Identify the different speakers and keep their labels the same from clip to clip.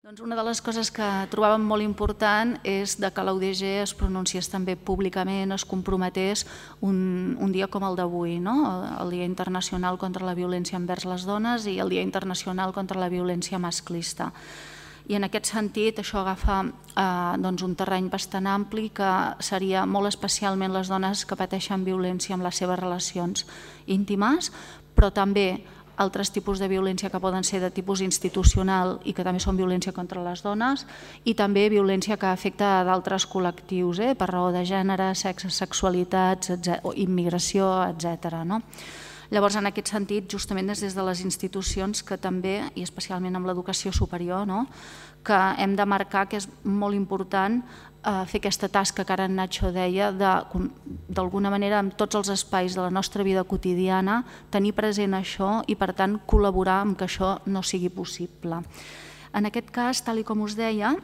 Speaker 1: Una de les coses que trobàvem molt important és que la UDG es pronunciés també públicament, es comprometés un dia com el d'avui, el Dia Internacional contra la Violència envers les Dones i el Dia Internacional contra la Violència Masclista. I en aquest sentit això agafa un terreny bastant ampli que seria molt especialment les dones que pateixen violència amb les seves relacions íntimes, però també altres tipus de violència que poden ser de tipus institucional i que també són violència contra les dones, i també violència que afecta d'altres col·lectius per raó de gènere, sexe, sexualitats, immigració, etc. Llavors, en aquest sentit, justament des de les institucions que també, i especialment amb l'educació superior, que hem de marcar que és molt important fer aquesta tasca que ara en Nacho deia, d'alguna manera en tots els espais de la nostra vida quotidiana, tenir present això i per tant col·laborar amb que això no sigui possible. En aquest cas, tal com us deia,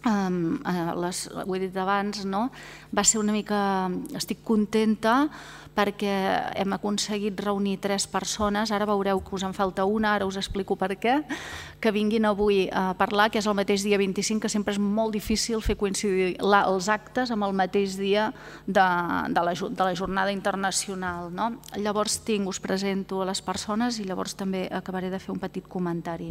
Speaker 1: ho he dit abans, va ser una mica, estic contenta perquè hem aconseguit reunir 3 persones, ara veureu que us en falta una, ara us explico per què, que vinguin avui a parlar, que és el mateix dia 25, que sempre és molt difícil fer coincidir els actes amb el mateix dia de la jornada internacional. Llavors us presento a les persones i llavors també acabaré de fer un petit comentari.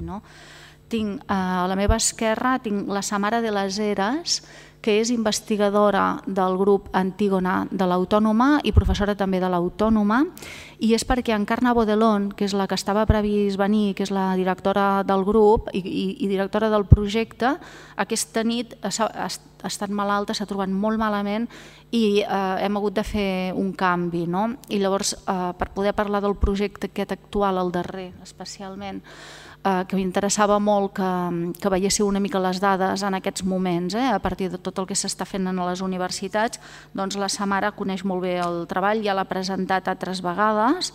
Speaker 1: Tinc a la meva esquerra la Samara de las Heras, que és investigadora del grup Antígona de l'Autònoma i professora també de l'Autònoma, i és perquè Encarna Bodelón, que és la que estava previst venir, que és la directora del grup i directora del projecte, aquesta nit ha estat malalta, s'ha trobat molt malament i hem hagut de fer un canvi. I llavors, per poder parlar del projecte aquest actual, el darrer especialment, que m'interessava molt que veiéssiu una mica les dades en aquests moments, a partir de tot el que s'està fent a les universitats, doncs la Samara coneix molt bé el treball, ja l'ha presentat altres vegades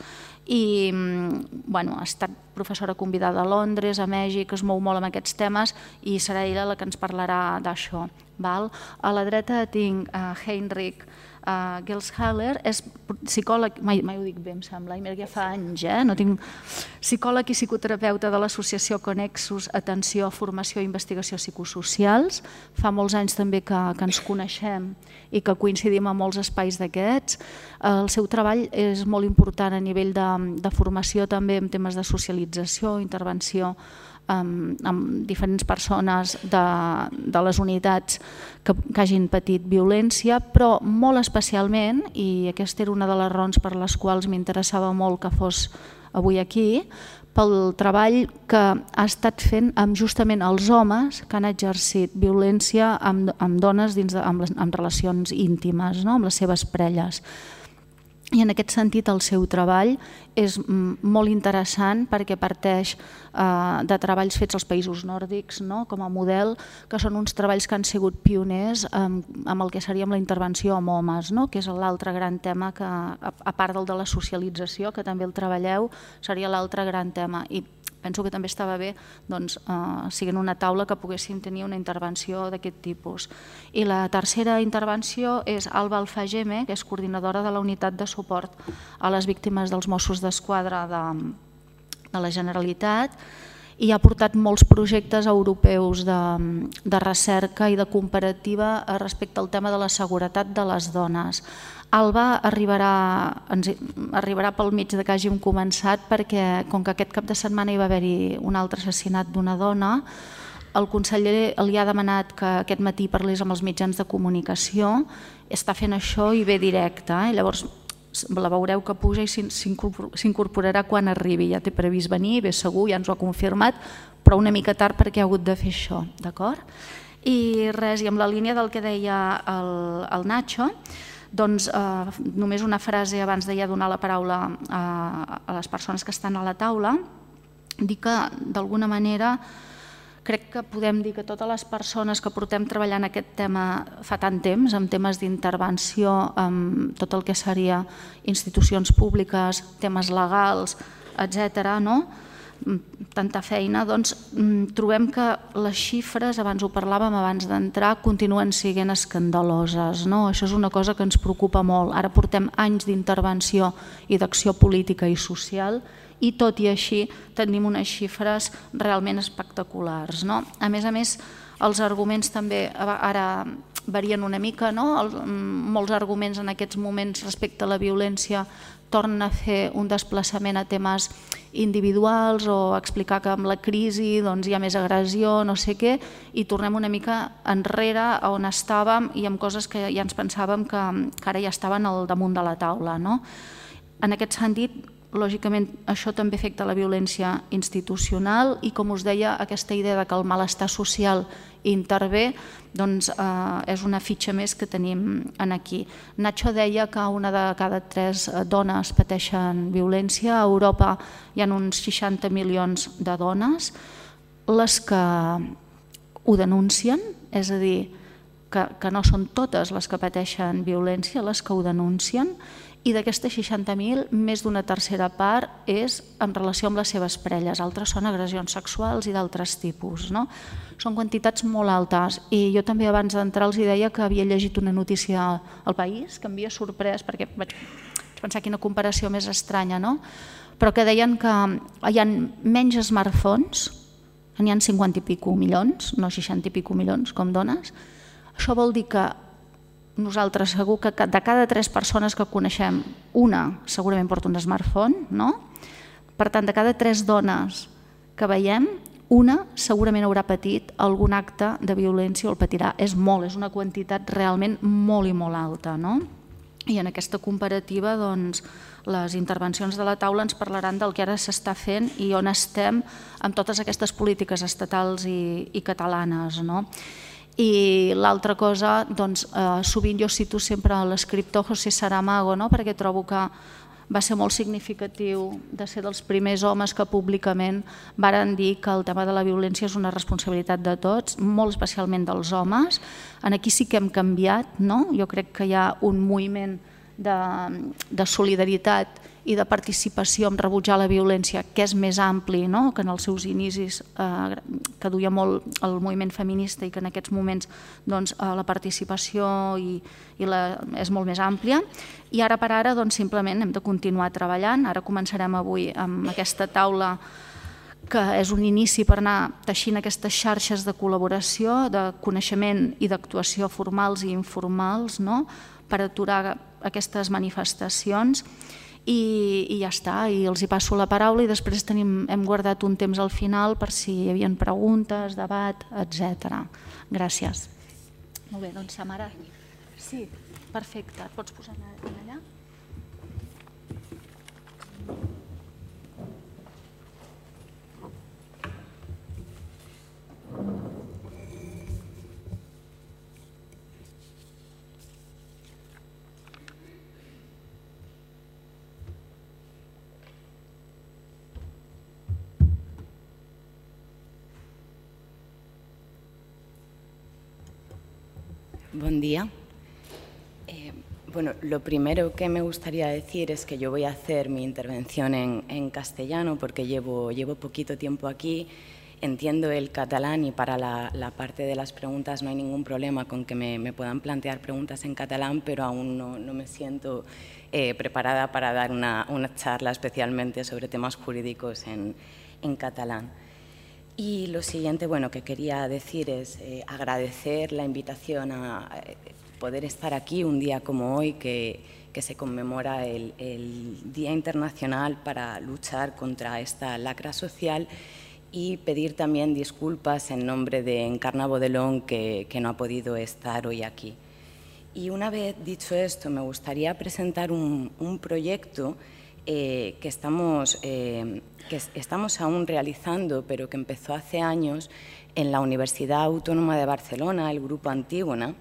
Speaker 1: i ha estat professora convidada a Londres, a Mèxic, es mou molt amb aquests temes i serà ella la que ens parlarà d'això. A la dreta tinc Heinrich Gelshaler, és psicòleg, mai ho dic bé em sembla, ja fa anys, psicòleg i psicoterapeuta de l'associació Connexus, Atenció, Formació i Investigació Psicosocials. Fa molts anys també que ens coneixem i que coincidim en molts espais d'aquests. El seu treball és molt important a nivell de formació també en temes de socialització, intervenció amb diferents persones de les unitats que hagin patit violència, però molt especialment, i aquesta era una de les raons per les quals m'interessava molt que fos avui aquí, pel treball que ha estat fent amb justament els homes que han exercit violència amb dones en relacions íntimes, amb les seves parelles. I en aquest sentit el seu treball és molt interessant perquè parteix de treballs fets als països nòrdics com a model, que són uns treballs que han sigut pioners amb el que seria la intervenció amb homes, que és l'altre gran tema, que a part del de la socialització, que també el treballeu, seria l'altre gran tema. I penso que també estava bé siguent una taula que poguéssim tenir una intervenció d'aquest tipus. I la tercera intervenció és Alba Alfageme, que és coordinadora de la unitat de suport a les víctimes dels Mossos d'Esquadra de la Generalitat i ha portat molts projectes europeus de recerca i de comparativa respecte al tema de la seguretat de les dones. Alba arribarà pel mig de que hàgim començat perquè, com que aquest cap de setmana hi va haver-hi un altre assassinat d'una dona, el conseller li ha demanat que aquest matí parlés amb els mitjans de comunicació, està fent això i ve directe, llavors la veureu que puja i s'incorporarà quan arribi, ja té previst venir, ve segur, ja ens ho ha confirmat, però una mica tard perquè ha hagut de fer això, d'acord? I res, i amb la línia del que deia el Nacho, doncs només una frase abans de ja donar la paraula a les persones que estan a la taula, dir que d'alguna manera crec que podem dir que totes les persones que portem treballant aquest tema fa tant temps, amb temes d'intervenció, amb tot el que seria institucions públiques, temes legals, etc., tanta feina, doncs trobem que les xifres, abans ho parlàvem abans d'entrar, continuen sent escandaloses. Això és una cosa que ens preocupa molt. Ara portem anys d'intervenció i d'acció política i social i tot i així tenim unes xifres realment espectaculars. A més, els arguments també ara varien una mica, molts arguments en aquests moments respecte a la violència tornen a fer un desplaçament a temes individuals o explicar que amb la crisi hi ha més agressió, no sé què, i tornem una mica enrere on estàvem i amb coses que ja ens pensàvem que ara ja estaven al damunt de la taula. En aquest sentit, lògicament, això també afecta la violència institucional i, com us deia, aquesta idea que el malestar social intervé és una fitxa més que tenim aquí. Nacho deia que una de cada 3 dones pateixen violència. A Europa hi ha uns 60 milions de dones. Les que ho denuncien, és a dir, que no són totes les que pateixen violència, les que ho denuncien, i d'aquestes 60.000, més d'una tercera part és en relació amb les seves parelles, altres són agressions sexuals i d'altres tipus. Són quantitats molt altes i jo també abans d'entrar els deia que havia llegit una notícia al País que m'havia sorprès perquè vaig pensar quina comparació més estranya, però que deien que hi ha menys smartphones, n'hi ha 50 i pico milions, no 60 i pico milions com dones. Això vol dir que nosaltres segur que de cada 3 persones que coneixem, una segurament porta un smartphone, per tant, de cada 3 dones que veiem, una segurament haurà patit algun acte de violència o el patirà. És molt, és una quantitat realment molt i molt alta. I en aquesta comparativa, les intervencions de la taula ens parlaran del que ara s'està fent i on estem amb totes aquestes polítiques estatals i catalanes. I l'altra cosa, sovint jo cito sempre l'escriptor José Saramago, perquè trobo que va ser molt significatiu de ser dels primers homes que públicament varen dir que el tema de la violència és una responsabilitat de tots, molt especialment dels homes. Aquí sí que hem canviat, jo crec que hi ha un moviment de solidaritat i de participació en rebutjar la violència que és més ampli que en els seus inicis, que duia molt el moviment feminista i que en aquests moments la participació és molt més àmplia. I ara per ara simplement hem de continuar treballant. Ara començarem avui amb aquesta taula que és un inici per anar teixint aquestes xarxes de col·laboració, de coneixement i d'actuació formals i informals per aturar aquestes manifestacions. I ja està, i els hi passo la paraula i després hem guardat un temps al final per si hi havia preguntes, debat, etc. Gràcies. Molt bé, doncs Samara. Sí, perfecte. Et pots posar allà?
Speaker 2: Buen día. Bueno, lo primero que me gustaría decir es que yo voy a hacer mi intervención en castellano porque llevo poquito tiempo aquí, entiendo el catalán y para la parte de las preguntas no hay ningún problema con que me puedan plantear preguntas en catalán, pero aún no me siento preparada para dar una charla especialmente sobre temas jurídicos en catalán. Y lo siguiente, bueno, que quería decir es agradecer la invitación a poder estar aquí un día como hoy, que se conmemora el Día Internacional para luchar contra esta lacra social, y pedir también disculpas en nombre de Encarna Bodelón, que no ha podido estar hoy aquí. Y una vez dicho esto, me gustaría presentar un proyecto que estamos aún realizando, pero que empezó hace años en la Universidad Autónoma de Barcelona, el Grupo Antígona.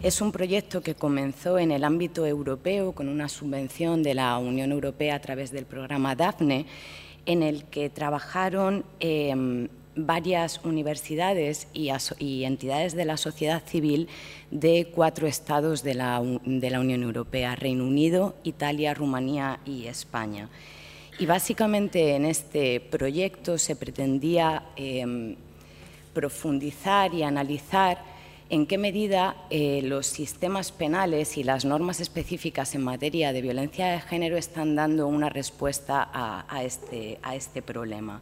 Speaker 2: Es un proyecto que comenzó en el ámbito europeo con una subvención de la Unión Europea a través del programa DAFNE, en el que trabajaron varias universidades y entidades de la sociedad civil de 4 estados de la Unión Europea: Reino Unido, Italia, Rumanía y España. Y básicamente en este proyecto se pretendía profundizar y analizar en qué medida los sistemas penales y las normas específicas en materia de violencia de género están dando una respuesta a este problema.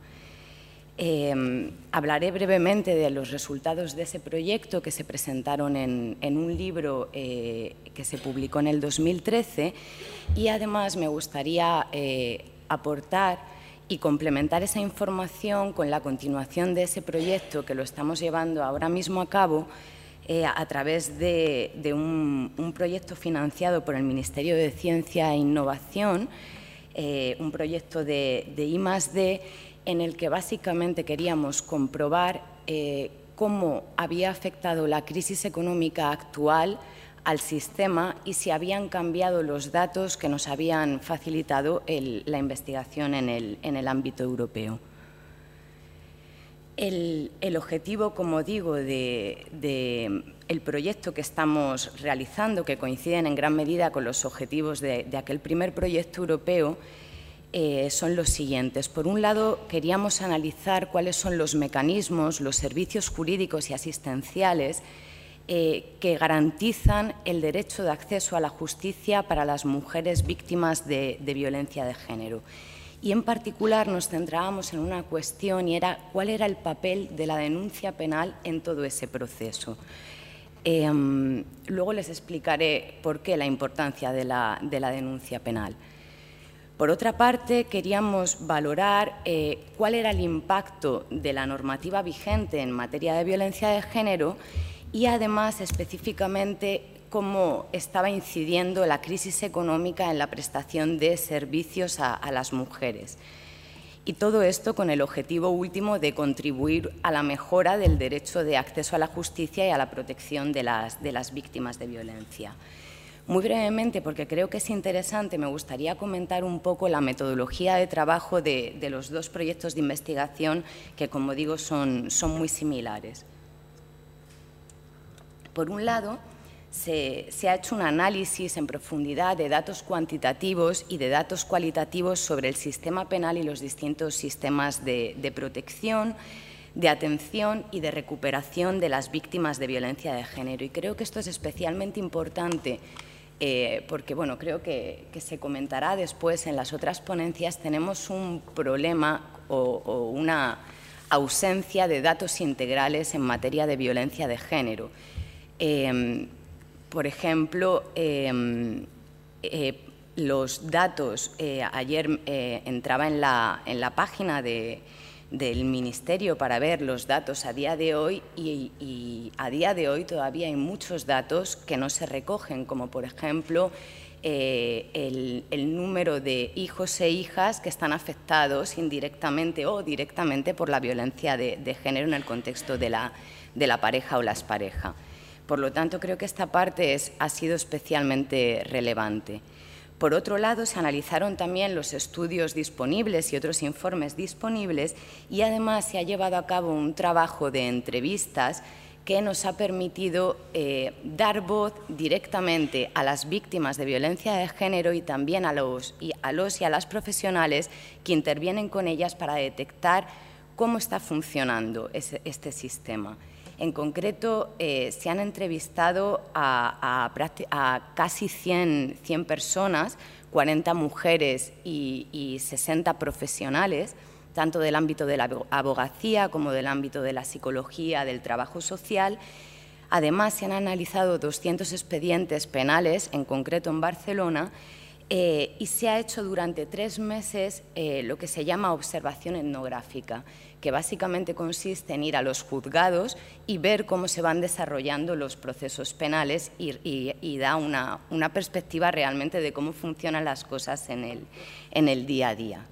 Speaker 2: Hablaré brevemente de los resultados de ese proyecto que se presentaron en un libro que se publicó en el 2013 y además me gustaría aportar y complementar esa información con la continuación de ese proyecto que lo estamos llevando ahora mismo a cabo a través de un proyecto financiado por el Ministerio de Ciencia e Innovación, un proyecto de I+D, en el que básicamente queríamos comprobar cómo había afectado la crisis económica actual al sistema y si habían cambiado los datos que nos habían facilitado la investigación en el ámbito europeo. El objetivo, como digo, del proyecto que estamos realizando, que coinciden en gran medida con los objetivos de aquel primer proyecto europeo, son los siguientes. Por un lado, queríamos analizar cuáles son los mecanismos, los servicios jurídicos y asistenciales que garantizan el derecho de acceso a la justicia para las mujeres víctimas de violencia de género. Y en particular nos centrábamos en una cuestión y era cuál era el papel de la denuncia penal en todo ese proceso. Luego les explicaré por qué la importancia de la denuncia penal. Por otra parte, queríamos valorar cuál era el impacto de la normativa vigente en materia de violencia de género y, además, específicamente, cómo estaba incidiendo la crisis económica en la prestación de servicios a las mujeres. Y todo esto con el objetivo último de contribuir a la mejora del derecho de acceso a la justicia y a la protección de las víctimas de violencia. Muy brevemente, porque creo que es interesante, me gustaría comentar un poco la metodología de trabajo de los dos proyectos de investigación que, como digo, son muy similares. Por un lado, se ha hecho un análisis en profundidad de datos cuantitativos y de datos cualitativos sobre el sistema penal y los distintos sistemas de protección, de atención y de recuperación de las víctimas de violencia de género. Y creo que esto es especialmente importante porque, bueno, creo que se comentará después en las otras ponencias. Tenemos un problema o una ausencia de datos integrales en materia de violencia de género. Por ejemplo, los datos, ayer entraba en la página del Ministerio para ver los datos a día de hoy y a día de hoy todavía hay muchos datos que no se recogen, como por ejemplo el número de hijos e hijas que están afectados indirectamente o directamente por la violencia de género en el contexto de la pareja o la expareja. Por lo tanto, creo que esta parte ha sido especialmente relevante. Por otro lado, se analizaron también los estudios disponibles y otros informes disponibles y además se ha llevado a cabo un trabajo de entrevistas que nos ha permitido dar voz directamente a las víctimas de violencia de género y también a los y a las profesionales que intervienen con ellas para detectar cómo está funcionando este sistema. En concreto, se han entrevistado a casi 100 personas, 40 mujeres y 60 profesionales, tanto del ámbito de la abogacía como del ámbito de la psicología, del trabajo social. Además, se han analizado 200 expedientes penales, en concreto en Barcelona, y se ha hecho durante 3 meses lo que se llama observación etnográfica, que básicamente consiste en ir a los juzgados y ver cómo se van desarrollando los procesos penales y da una perspectiva realmente de cómo funcionan las cosas en el día a día.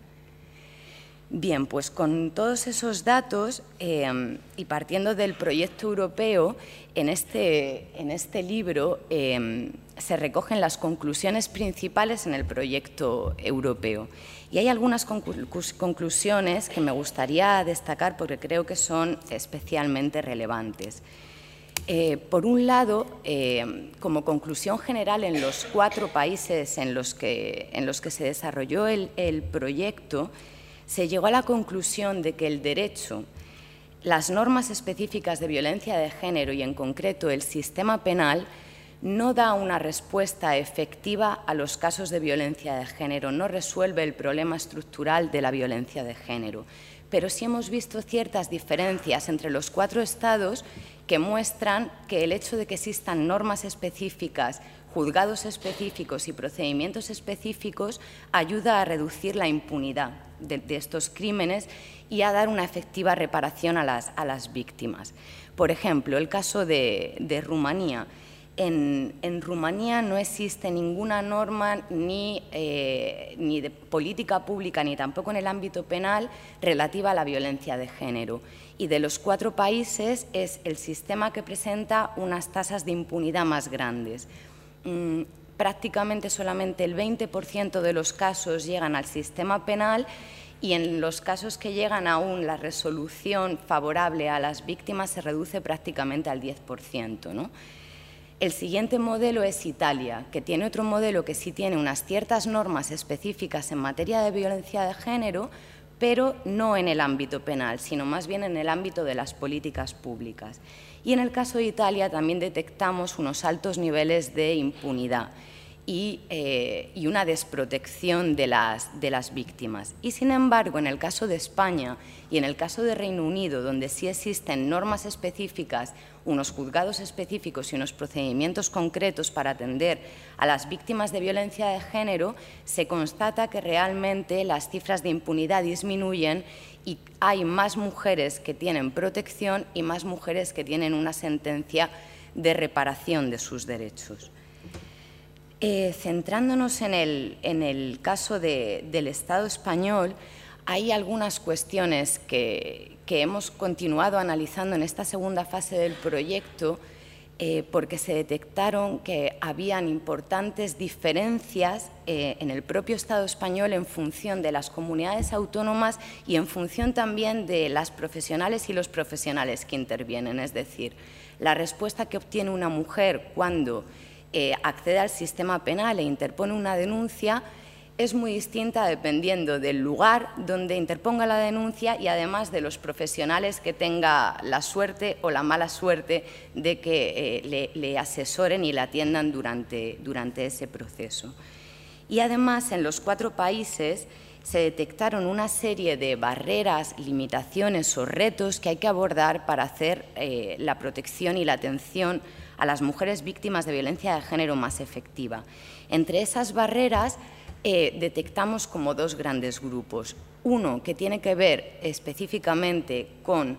Speaker 2: Bien, pues con todos esos datos y partiendo del proyecto europeo, en este libro se recogen las conclusiones principales en el proyecto europeo. Y hay algunas conclusiones que me gustaría destacar porque creo que son especialmente relevantes. Por un lado, como conclusión general, en los 4 países en los que se desarrolló el proyecto, se llegó a la conclusión de que el derecho, las normas específicas de violencia de género y, en concreto, el sistema penal, no da una respuesta efectiva a los casos de violencia de género, no resuelve el problema estructural de la violencia de género. Pero sí hemos visto ciertas diferencias entre los 4 estados que muestran que el hecho de que existan normas específicas, juzgados específicos y procedimientos específicos ayuda a reducir la impunidad de estos crímenes y a dar una efectiva reparación a las víctimas. Por ejemplo, el caso de Rumanía. En Rumanía no existe ninguna norma ni de política pública ni tampoco en el ámbito penal relativa a la violencia de género. Y de los 4 países es el sistema que presenta unas tasas de impunidad más grandes. Prácticamente solamente el 20% de los casos llegan al sistema penal y en los casos que llegan aún la resolución favorable a las víctimas se reduce prácticamente al 10%, ¿no? El siguiente modelo es Italia, que tiene otro modelo que sí tiene unas ciertas normas específicas en materia de violencia de género, pero no en el ámbito penal, sino más bien en el ámbito de las políticas públicas. Y en el caso de Italia también detectamos unos altos niveles de impunidad y una desprotección de las víctimas. Y, sin embargo, en el caso de España y en el caso de Reino Unido, donde sí existen normas específicas, unos juzgados específicos y unos procedimientos concretos para atender a las víctimas de violencia de género, se constata que realmente las cifras de impunidad disminuyen y hay más mujeres que tienen protección y más mujeres que tienen una sentencia de reparación de sus derechos. Centrándonos en el caso del Estado español, hay algunas cuestiones que hemos continuado analizando en esta segunda fase del proyecto porque se detectaron que habían importantes diferencias en el propio Estado español en función de las comunidades autónomas y en función también de las profesionales y los profesionales que intervienen. Es decir, la respuesta que obtiene una mujer cuando accede al sistema penal e interpone una denuncia es muy distinta dependiendo del lugar donde interponga la denuncia y además de los profesionales que tenga la suerte o la mala suerte de que le asesoren y le atiendan durante ese proceso. Y además en los 4 países se detectaron una serie de barreras, limitaciones o retos que hay que abordar para hacer la protección y la atención a las mujeres víctimas de violencia de género más efectiva. Entre esas barreras detectamos como 2 grandes grupos. Uno que tiene que ver específicamente con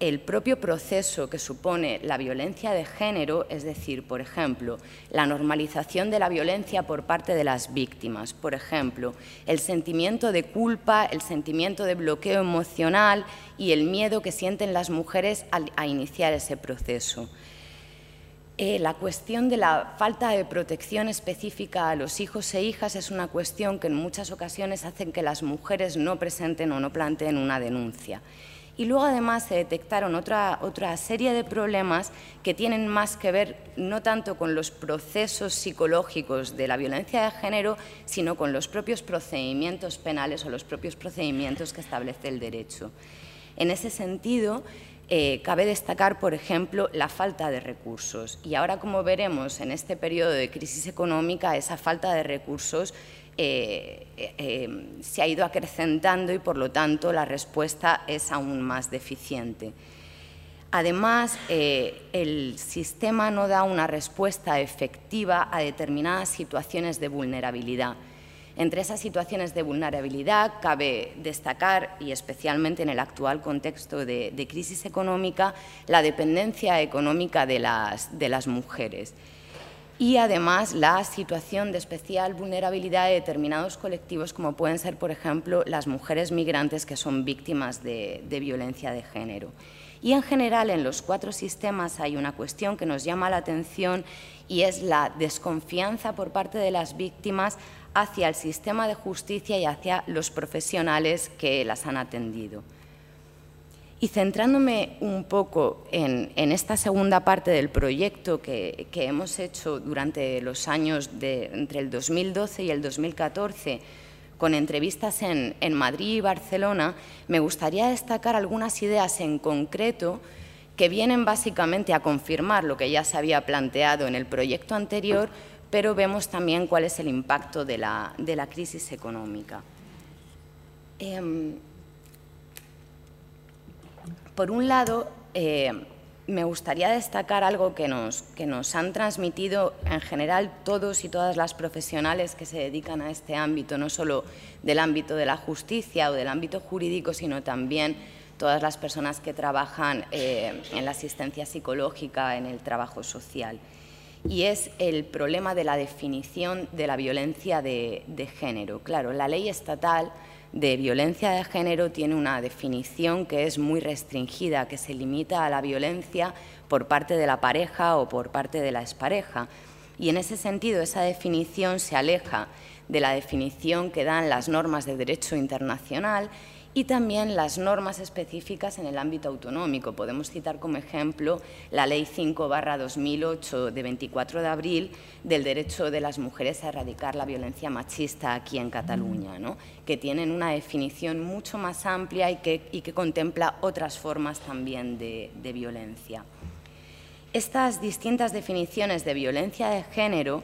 Speaker 2: el propio proceso que supone la violencia de género, es decir, por ejemplo, la normalización de la violencia por parte de las víctimas, por ejemplo, el sentimiento de culpa, el sentimiento de bloqueo emocional y el miedo que sienten las mujeres a iniciar ese proceso. La cuestión de la falta de protección específica a los hijos e hijas es una cuestión que en muchas ocasiones hace que las mujeres no presenten o no planteen una denuncia. Y luego además se detectaron otra serie de problemas que tienen más que ver no tanto con los procesos psicológicos de la violencia de género, sino con los propios procedimientos penales o los propios procedimientos que establece el derecho. En ese sentido, cabe destacar, por ejemplo, la falta de recursos. Y ahora, como veremos en este periodo de crisis económica, esa falta de recursos se ha ido acrecentando y, por lo tanto, la respuesta es aún más deficiente. Además, el sistema no da una respuesta efectiva a determinadas situaciones de vulnerabilidad. Entre esas situaciones de vulnerabilidad cabe destacar, y especialmente en el actual contexto de crisis económica, la dependencia económica de las mujeres y además la situación de especial vulnerabilidad de determinados colectivos como pueden ser, por ejemplo, las mujeres migrantes que son víctimas de violencia de género. Y en general en los 4 sistemas hay una cuestión que nos llama la atención y es la desconfianza por parte de las víctimas hacia el sistema de justicia y hacia los profesionales que las han atendido. Y centrándome un poco en esta segunda parte del proyecto que hemos hecho durante los años entre el 2012 y el 2014, con entrevistas en Madrid y Barcelona, me gustaría destacar algunas ideas en concreto que vienen básicamente a confirmar lo que ya se había planteado en el proyecto anterior, pero vemos también cuál es el impacto de la crisis económica. Por un lado, me gustaría destacar algo que nos han transmitido en general todos y todas las profesionales que se dedican a este ámbito, no solo del ámbito de la justicia o del ámbito jurídico, sino también todas las personas que trabajan en la asistencia psicológica, en el trabajo social. Y es el problema de la definición de la violencia de género. Claro, la ley estatal de violencia de género tiene una definición que es muy restringida, que se limita a la violencia por parte de la pareja o por parte de la expareja. Y en ese sentido, esa definición se aleja de la definición que dan las normas de derecho internacional y también las normas específicas en el ámbito autonómico. Podemos citar como ejemplo la Ley 5/2008 de 24 de abril del derecho de las mujeres a erradicar la violencia machista aquí en Cataluña, ¿no? Que tienen una definición mucho más amplia y que contempla otras formas también de violencia. Estas distintas definiciones de violencia de género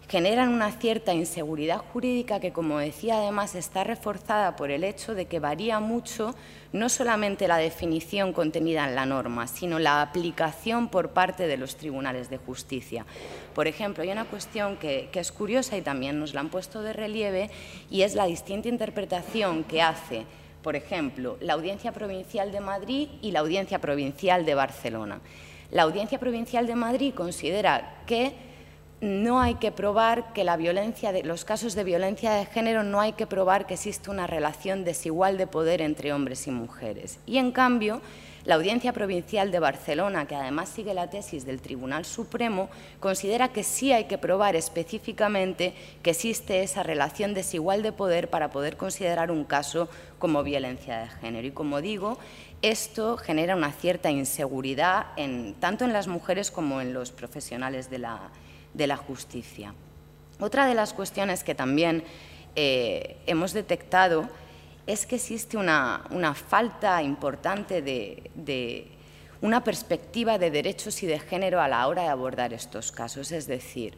Speaker 2: generan una cierta inseguridad jurídica que, como decía, además está reforzada por el hecho de que varía mucho no solamente la definición contenida en la norma, sino la aplicación por parte de los tribunales de justicia. Por ejemplo, hay una cuestión que es curiosa y también nos la han puesto de relieve, y es la distinta interpretación que hace, por ejemplo, la Audiencia Provincial de Madrid y la Audiencia Provincial de Barcelona. La Audiencia Provincial de Madrid considera que no hay que probar que los casos de violencia de género no hay que probar que existe una relación desigual de poder entre hombres y mujeres. Y, en cambio, la Audiencia Provincial de Barcelona, que además sigue la tesis del Tribunal Supremo, considera que sí hay que probar específicamente que existe esa relación desigual de poder para poder considerar un caso como violencia de género. Y, como digo, esto genera una cierta inseguridad tanto en las mujeres como en los profesionales de la justicia. Otra de las cuestiones que también hemos detectado es que existe una falta importante de una perspectiva de derechos y de género a la hora de abordar estos casos. Es decir,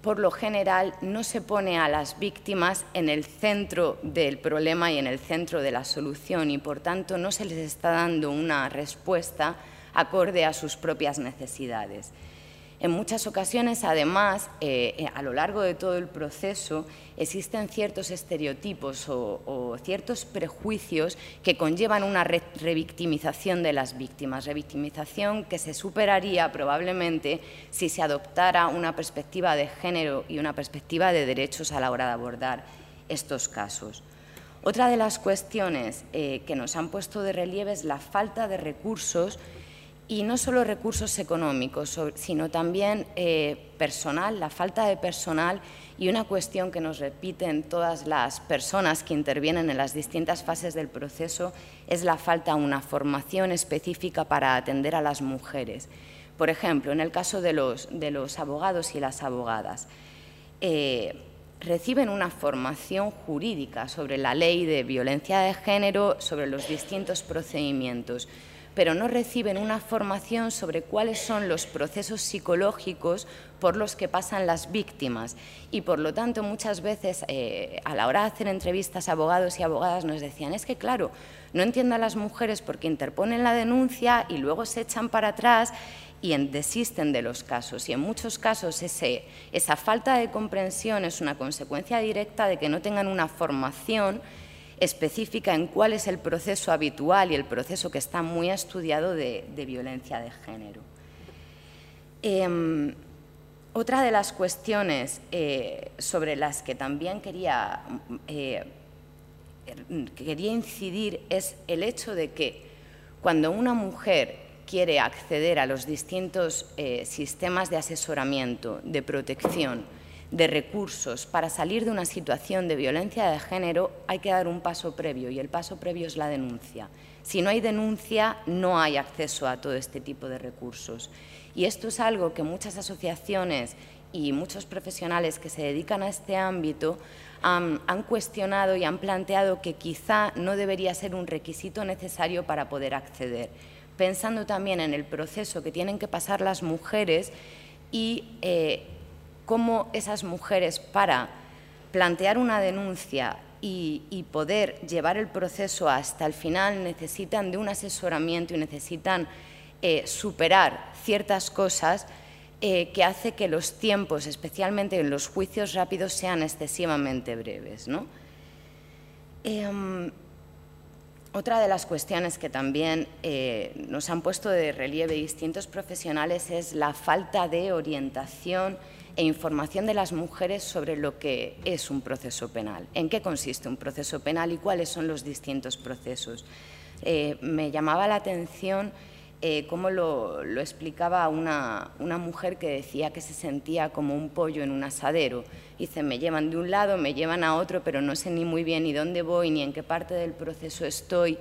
Speaker 2: por lo general no se pone a las víctimas en el centro del problema y en el centro de la solución, y por tanto no se les está dando una respuesta acorde a sus propias necesidades. En muchas ocasiones, además, a lo largo de todo el proceso, existen ciertos estereotipos o ciertos prejuicios que conllevan una revictimización de las víctimas, revictimización que se superaría probablemente si se adoptara una perspectiva de género y una perspectiva de derechos a la hora de abordar estos casos. Otra de las cuestiones que nos han puesto de relieve es la falta de recursos, y no solo recursos económicos, sino también personal, la falta de personal, y una cuestión que nos repiten todas las personas que intervienen en las distintas fases del proceso es la falta de una formación específica para atender a las mujeres. Por ejemplo, en el caso de los abogados y las abogadas, reciben una formación jurídica sobre la ley de violencia de género, sobre los distintos procedimientos, pero no reciben una formación sobre cuáles son los procesos psicológicos por los que pasan las víctimas. Y, por lo tanto, muchas veces a la hora de hacer entrevistas a abogados y abogadas nos decían: es que, claro, no entiendo a las mujeres porque interponen la denuncia y luego se echan para atrás y desisten de los casos. Y en muchos casos esa falta de comprensión es una consecuencia directa de que no tengan una formación específica en cuál es el proceso habitual y el proceso que está muy estudiado de violencia de género. Otra de las cuestiones sobre las que también quería incidir es el hecho de que cuando una mujer quiere acceder a los distintos sistemas de asesoramiento, de protección, de recursos para salir de una situación de violencia de género, hay que dar un paso previo, y el paso previo es la denuncia. Si no hay denuncia, no hay acceso a todo este tipo de recursos. Y esto es algo que muchas asociaciones y muchos profesionales que se dedican a este ámbito han cuestionado y han planteado que quizá no debería ser un requisito necesario para poder acceder, pensando también en el proceso que tienen que pasar las mujeres y cómo esas mujeres, para plantear una denuncia y poder llevar el proceso hasta el final, necesitan de un asesoramiento y necesitan superar ciertas cosas que hace que los tiempos, especialmente en los juicios rápidos, sean excesivamente breves, ¿no? Otra de las cuestiones que también nos han puesto de relieve distintos profesionales es la falta de orientación e información de las mujeres sobre lo que es un proceso penal, en qué consiste un proceso penal y cuáles son los distintos procesos. Me llamaba la atención cómo lo explicaba una mujer que decía que se sentía como un pollo en un asadero. Dice, me llevan de un lado, me llevan a otro, pero no sé ni muy bien ni dónde voy, ni en qué parte del proceso estoy.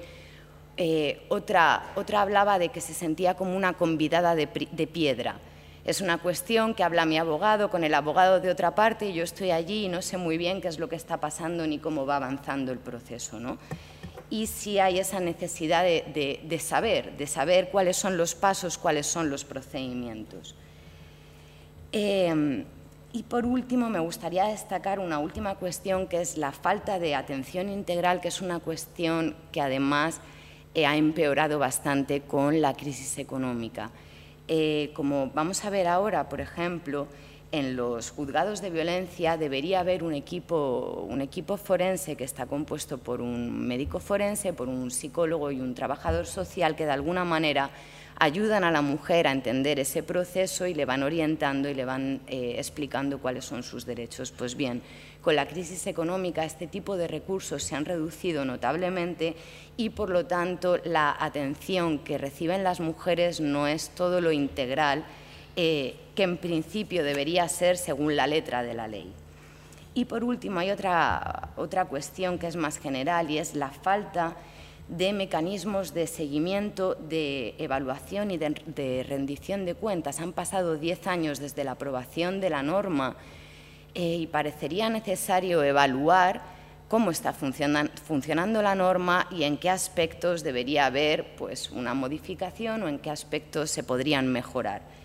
Speaker 2: Otra hablaba de que se sentía como una convidada de piedra. Es una cuestión que habla mi abogado con el abogado de otra parte y yo estoy allí y no sé muy bien qué es lo que está pasando ni cómo va avanzando el proceso, ¿no? Y si hay esa necesidad de saber cuáles son los pasos, cuáles son los procedimientos. Y por último, me gustaría destacar una última cuestión, que es la falta de atención integral, que es una cuestión que además ha empeorado bastante con la crisis económica. Como vamos a ver ahora, por ejemplo, en los juzgados de violencia debería haber un equipo forense que está compuesto por un médico forense, por un psicólogo y un trabajador social que de alguna manera ayudan a la mujer a entender ese proceso y le van orientando y le van explicando cuáles son sus derechos. Pues bien, con la crisis económica este tipo de recursos se han reducido notablemente y, por lo tanto, la atención que reciben las mujeres no es todo lo integral que en principio debería ser según la letra de la ley. Y por último, hay otra cuestión que es más general y es la falta de mecanismos de seguimiento, de evaluación y de rendición de cuentas. Han pasado 10 años desde la aprobación de la norma y parecería necesario evaluar cómo está funcionando la norma y en qué aspectos debería haber pues, una modificación o en qué aspectos se podrían mejorar.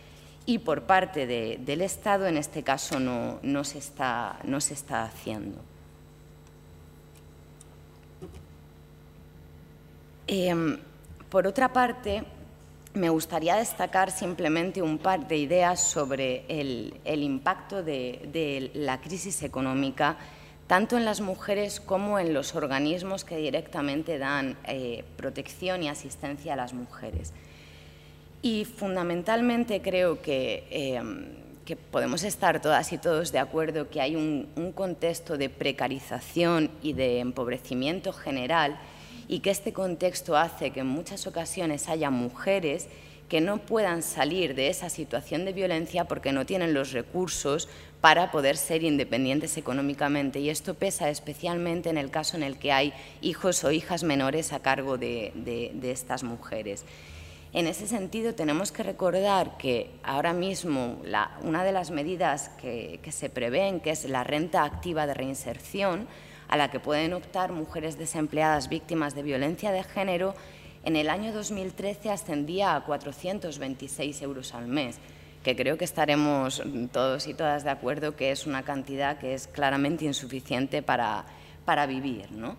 Speaker 2: Y por parte del Estado, en este caso, no se está haciendo. Por otra parte, me gustaría destacar simplemente un par de ideas sobre el impacto de la crisis económica, tanto en las mujeres como en los organismos que directamente dan protección y asistencia a las mujeres. Y fundamentalmente creo que podemos estar todas y todos de acuerdo que hay un contexto de precarización y de empobrecimiento general y que este contexto hace que en muchas ocasiones haya mujeres que no puedan salir de esa situación de violencia porque no tienen los recursos para poder ser independientes económicamente. Y esto pesa especialmente en el caso en el que hay hijos o hijas menores a cargo de estas mujeres. En ese sentido, tenemos que recordar que ahora mismo una de las medidas que se prevén, que es la renta activa de reinserción, a la que pueden optar mujeres desempleadas víctimas de violencia de género, en el año 2013 ascendía a 426 euros al mes, que creo que estaremos todos y todas de acuerdo que es una cantidad que es claramente insuficiente para vivir, ¿no?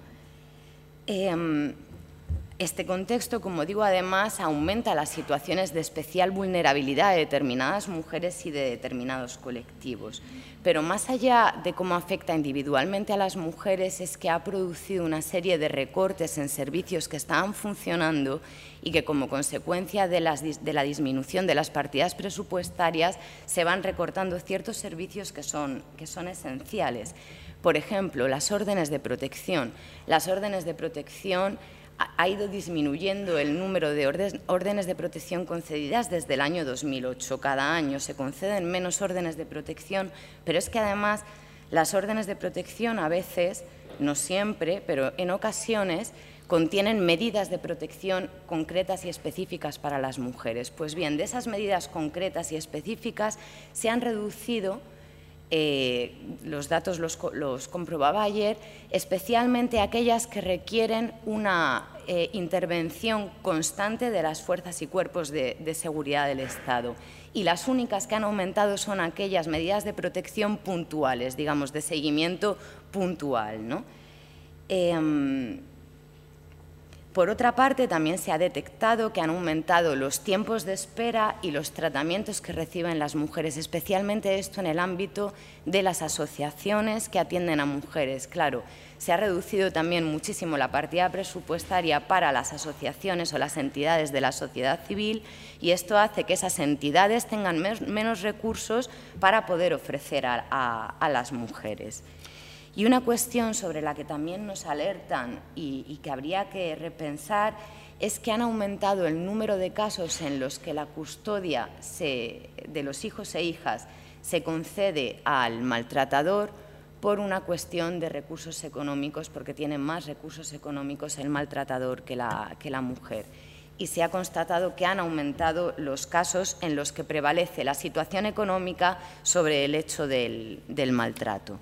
Speaker 2: Este contexto, como digo, además aumenta las situaciones de especial vulnerabilidad de determinadas mujeres y de determinados colectivos. Pero más allá de cómo afecta individualmente a las mujeres, es que ha producido una serie de recortes en servicios que estaban funcionando y que, como consecuencia de la disminución de las partidas presupuestarias, se van recortando ciertos servicios que son esenciales. Por ejemplo, las órdenes de protección. Las órdenes de protección ha ido disminuyendo el número de órdenes de protección concedidas desde el año 2008. Cada año se conceden menos órdenes de protección, pero es que además las órdenes de protección a veces, no siempre, pero en ocasiones contienen medidas de protección concretas y específicas para las mujeres. Pues bien, de esas medidas concretas y específicas se han reducido, los datos los comprobaba ayer, especialmente aquellas que requieren una intervención constante de las fuerzas y cuerpos de seguridad del Estado. Y las únicas que han aumentado son aquellas medidas de protección puntuales, digamos, de seguimiento puntual, ¿no? Por otra parte, también se ha detectado que han aumentado los tiempos de espera y los tratamientos que reciben las mujeres, especialmente esto en el ámbito de las asociaciones que atienden a mujeres. Claro, se ha reducido también muchísimo la partida presupuestaria para las asociaciones o las entidades de la sociedad civil y esto hace que esas entidades tengan menos recursos para poder ofrecer a las mujeres. Y una cuestión sobre la que también nos alertan y que habría que repensar es que han aumentado el número de casos en los que la custodia de los hijos e hijas se concede al maltratador por una cuestión de recursos económicos, porque tiene más recursos económicos el maltratador que la mujer. Y se ha constatado que han aumentado los casos en los que prevalece la situación económica sobre el hecho del maltrato.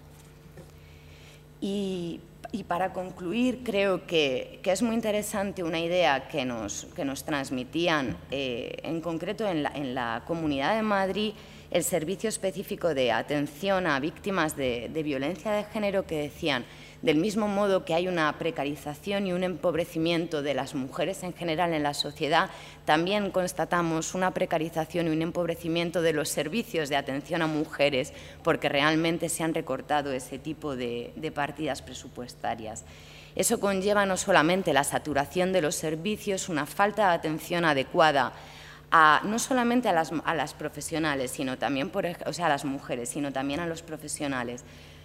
Speaker 2: Y para concluir, creo que es muy interesante una idea que nos transmitían, en concreto en la Comunidad de Madrid, el Servicio Específico de Atención a Víctimas de Violencia de Género, que decían, del mismo modo que hay una precarización y un empobrecimiento de las mujeres en general en la sociedad, también constatamos una precarización y un empobrecimiento de los servicios de atención a mujeres porque realmente se han recortado ese tipo de partidas presupuestarias. Eso conlleva no solamente la saturación de los servicios, una falta de atención adecuada no solamente a las profesionales, sino también, a las mujeres, sino también a los profesionales.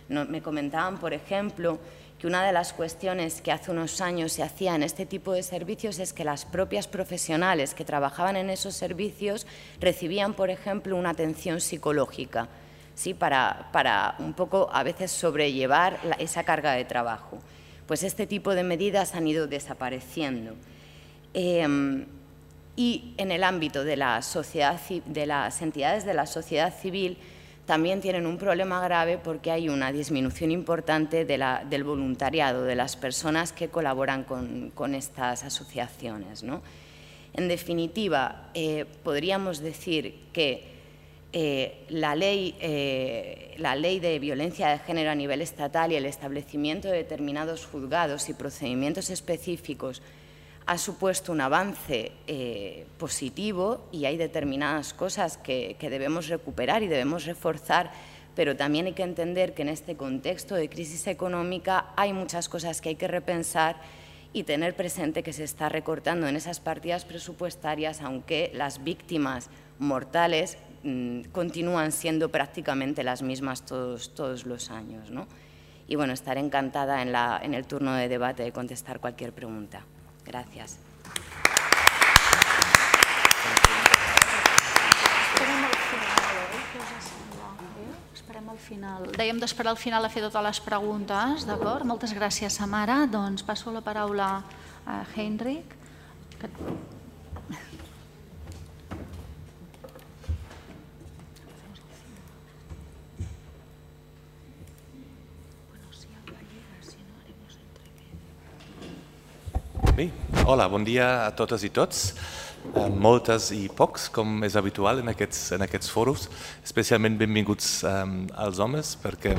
Speaker 2: Me comentaban, por ejemplo, que una de las cuestiones que hace unos años se hacía en este tipo de servicios es que las propias profesionales que trabajaban en esos servicios recibían, por ejemplo, una atención psicológica, ¿sí? para un poco a veces sobrellevar esa carga de trabajo. Pues este tipo de medidas han ido desapareciendo. Y en el ámbito de las entidades de la sociedad civil, también tienen un problema grave porque hay una disminución importante del voluntariado, de las personas que colaboran con estas asociaciones, ¿no? En definitiva, podríamos decir que la ley de violencia de género a nivel estatal y el establecimiento de determinados juzgados y procedimientos específicos ha supuesto un avance positivo y hay determinadas cosas que debemos recuperar y debemos reforzar, pero también hay que entender que en este contexto de crisis económica hay muchas cosas que hay que repensar y tener presente que se está recortando en esas partidas presupuestarias, aunque las víctimas mortales continúan siendo prácticamente las mismas todos los años, ¿no? Y bueno, estaré encantada en el turno de debate de contestar cualquier pregunta. Gràcies.
Speaker 1: Esperem al final. Dèiem d'esperar al final a fer totes les preguntes, d'acord? Moltes gràcies, Samara. Doncs passo la paraula a Heinrich.
Speaker 3: Bé, hola, bon dia a totes i tots, moltes i pocs, com és habitual en aquests foros, especialment benvinguts als homes, perquè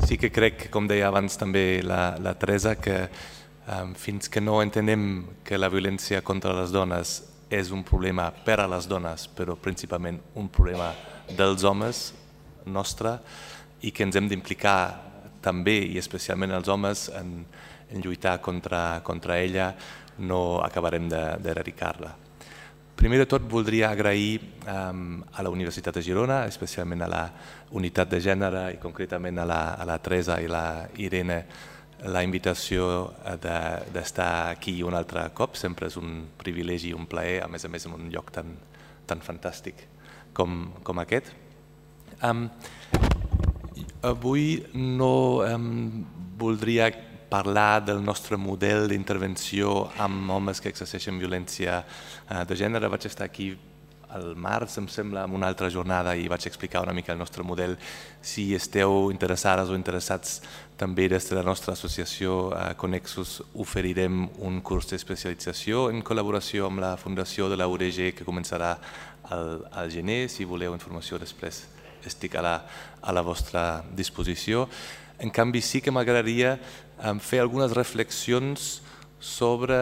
Speaker 3: sí que crec, com deia abans també la Teresa, que fins que no entenem que la violència contra les dones és un problema per a les dones, però principalment un problema dels homes nostre, i que ens hem d'implicar també i especialment els homes en lluitar contra ella, no acabarem d'erradicar-la. Primer de tot, voldria agrair a la Universitat de Girona, especialment a la Unitat de Gènere i concretament a la Teresa i la Irene, la invitació d'estar aquí un altre cop. Sempre és un privilegi i un plaer, a més en un lloc tan fantàstic com aquest. Avui no voldria parlar del nostre model d'intervenció amb homes que exerceixen violència de gènere. Vaig estar aquí al març, em sembla, en una altra jornada i vaig explicar una mica el nostre model. Si esteu interessades o interessats, també des de la nostra associació Connexus oferirem un curs d'especialització en col·laboració amb la Fundació de la UDG que començarà al gener. Si voleu informació després estic a la vostra disposició. En canvi, sí que m'agradaria fer algunes reflexions sobre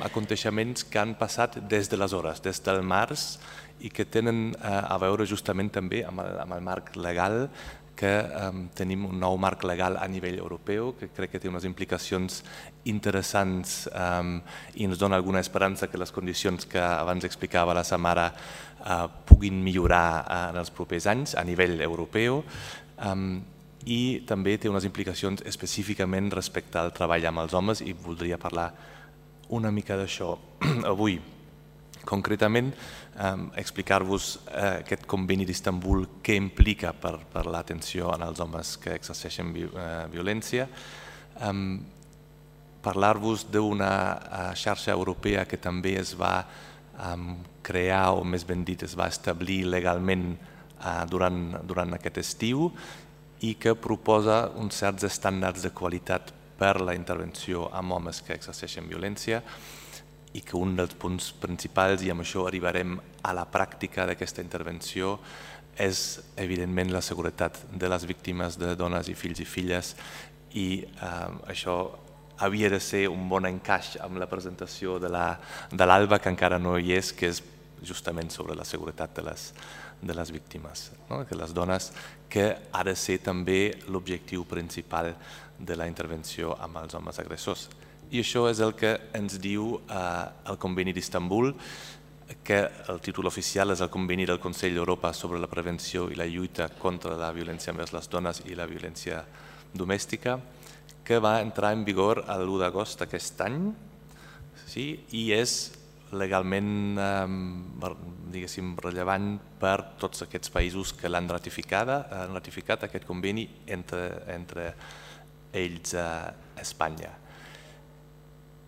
Speaker 3: aconteixements que han passat des d'aleshores, des del març, i que tenen a veure justament també amb el marc legal, que tenim un nou marc legal a nivell europeu, que crec que té unes implicacions interessants i ens dona alguna esperança que les condicions que abans explicava la Samara puguin millorar en els propers anys a nivell europeu. I també té unes implicacions específicament respecte al treball amb els homes i voldria parlar una mica d'això avui. Concretament, explicar-vos aquest conveni d'Istanbul què implica per l'atenció als homes que exerceixen violència, parlar-vos d'una xarxa europea que també es va crear, o més ben dit, es va establir legalment durant aquest estiu, i que proposa uns certs estàndards de qualitat per la intervenció amb homes que exerceixen violència i que un dels punts principals, i amb això arribarem a la pràctica d'aquesta intervenció, és evidentment la seguretat de les víctimes de dones i fills i filles, i això havia de ser un bon encaix amb la presentació de l'Alba, que encara no hi és, que és justament sobre la seguretat de les víctimes, de les dones, que ha de ser també l'objectiu principal de la intervenció amb els homes agressors. I això és el que ens diu el Conveni d'Istanbul, que el títol oficial és el Conveni del Consell d'Europa sobre la prevenció i la lluita contra la violència envers les dones i la violència domèstica, que va entrar en vigor l'1 d'agost d'aquest any, i és legalment rellevant per tots aquests països que l'han ratificat aquest conveni, entre ells Espanya.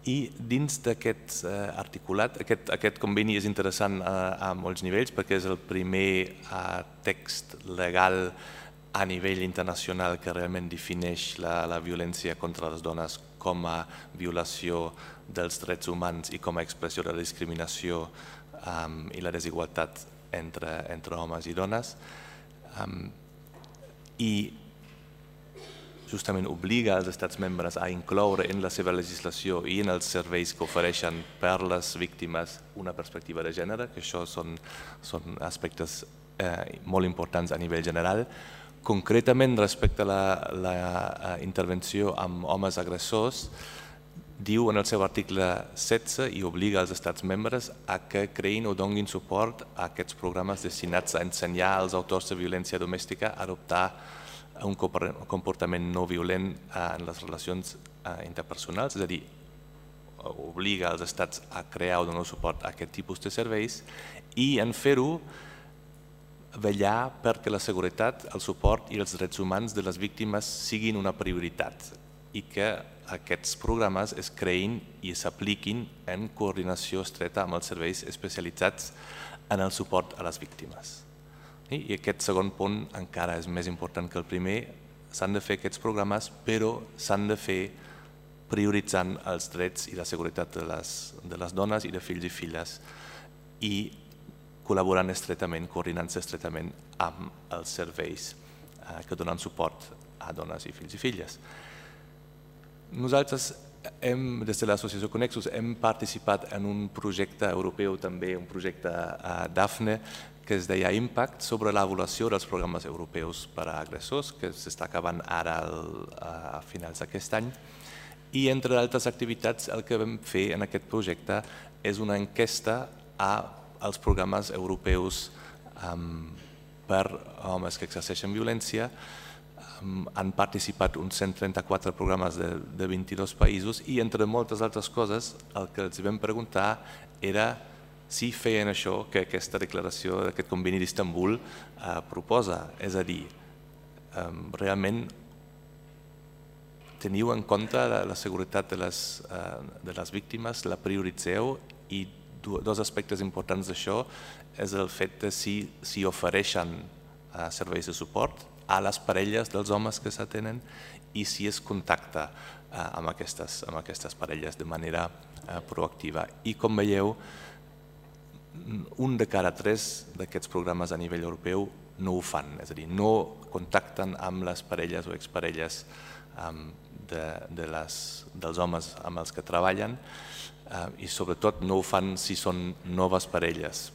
Speaker 3: I dins d'aquest articulat, aquest conveni és interessant a molts nivells perquè és el primer text legal a nivell internacional que realment defineix la violència contra les dones com a violació dels drets humans i com a expressió de la discriminació i la desigualtat entre homes i dones, i justament obliga els estats membres a incloure en la seva legislació i en els serveis que ofereixen per les víctimes una perspectiva de gènere, que això són aspectes molt importants a nivell general. Concretament, respecte a la intervenció amb homes agressors, diu en el seu article 16 i obliga els estats membres a que creïn o donin suport a aquests programes destinats a ensenyar als autors de violència domèstica a adoptar un comportament no violent en les relacions interpersonals, és a dir, obliga els estats a crear o donar suport a aquest tipus de serveis i en fer-ho vetllar perquè la seguretat, el suport i els drets humans de les víctimes siguin una prioritat i que aquests programes es creïn i s'apliquin en coordinació estreta amb els serveis especialitzats en el suport a les víctimes. I aquest segon punt encara és més important que el primer. S'han de fer aquests programes, però s'han de fer prioritzant els drets i la seguretat de les dones i de fills i filles i col·laborant estretament, coordinant-se estretament amb els serveis que donen suport a dones i fills i filles. Nosaltres, des de l'associació Connexus, hem participat en un projecte europeu, també un projecte DAFNE, que es deia Impact, sobre l'avaluació dels programes europeus per a agressors, que s'està acabant ara a finals d'aquest any. I entre altres activitats, el que vam fer en aquest projecte és una enquesta als programes europeus per homes que exerceixen violència. Han participat uns 134 programes de 22 països i, entre moltes altres coses, el que els vam preguntar era si feien això que aquesta declaració d'aquest conveni d'Istanbul proposa, és a dir, realment teniu en compte la seguretat de les víctimes, la prioritzeu, i dos aspectes importants d'això és el fet de si ofereixen serveis de suport a les parelles dels homes que s'atenen i si es contacta amb aquestes parelles de manera proactiva. I com veieu, un de cada 3 d'aquests programes a nivell europeu no ho fan, és a dir, no contacten amb les parelles o exparelles dels homes amb els que treballen, i sobretot no ho fan si són noves parelles.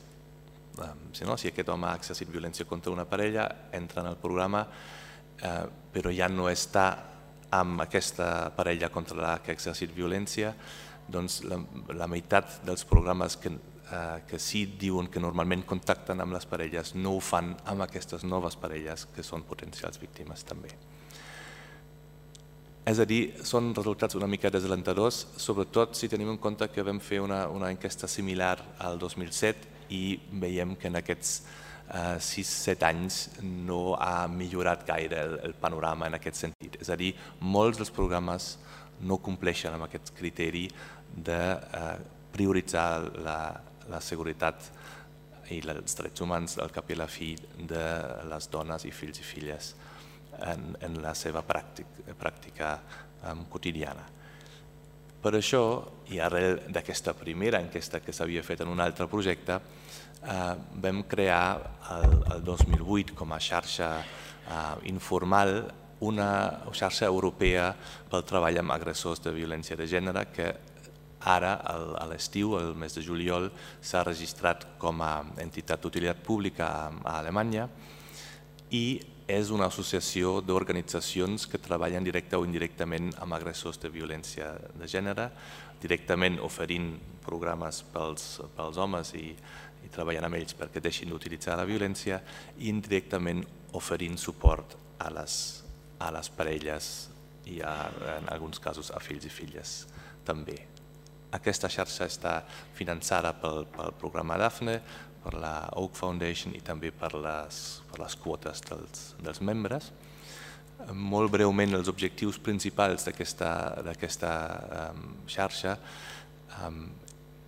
Speaker 3: Si aquest home ha exercit violència contra una parella, entra en el programa, però ja no està amb aquesta parella contra la que ha exercit violència, doncs la meitat dels programes que sí diuen que normalment contacten amb les parelles no ho fan amb aquestes noves parelles que són potencials víctimes també. És a dir, són resultats una mica desalentadors, sobretot si tenim en compte que vam fer una enquesta similar al 2007 i veiem que en aquests 6-7 anys no ha millorat gaire el panorama en aquest sentit. És a dir, molts dels programes no compleixen amb aquest criteri de prioritzar la seguretat i els drets humans al cap i a la fi de les dones i fills i filles en la seva pràctica quotidiana. Per això, i arrel d'aquesta primera enquesta que s'havia fet en un altre projecte, vam crear el 2008 com a xarxa informal una xarxa europea pel treball amb agressors de violència de gènere que ara, a l'estiu, el mes de juliol, s'ha registrat com a entitat d'utilitat pública a Alemanya i és una associació d'organitzacions que treballen directe o indirectament amb agressors de violència de gènere, directament oferint programes pels homes i treballant amb ells perquè deixin d'utilitzar la violència, i indirectament oferint suport a les parelles i en alguns casos a fills i filles també. Aquesta xarxa està finançada pel programa Daphne, per la Oak Foundation i també per les quotes dels membres. Molt breument, els objectius principals d'aquesta xarxa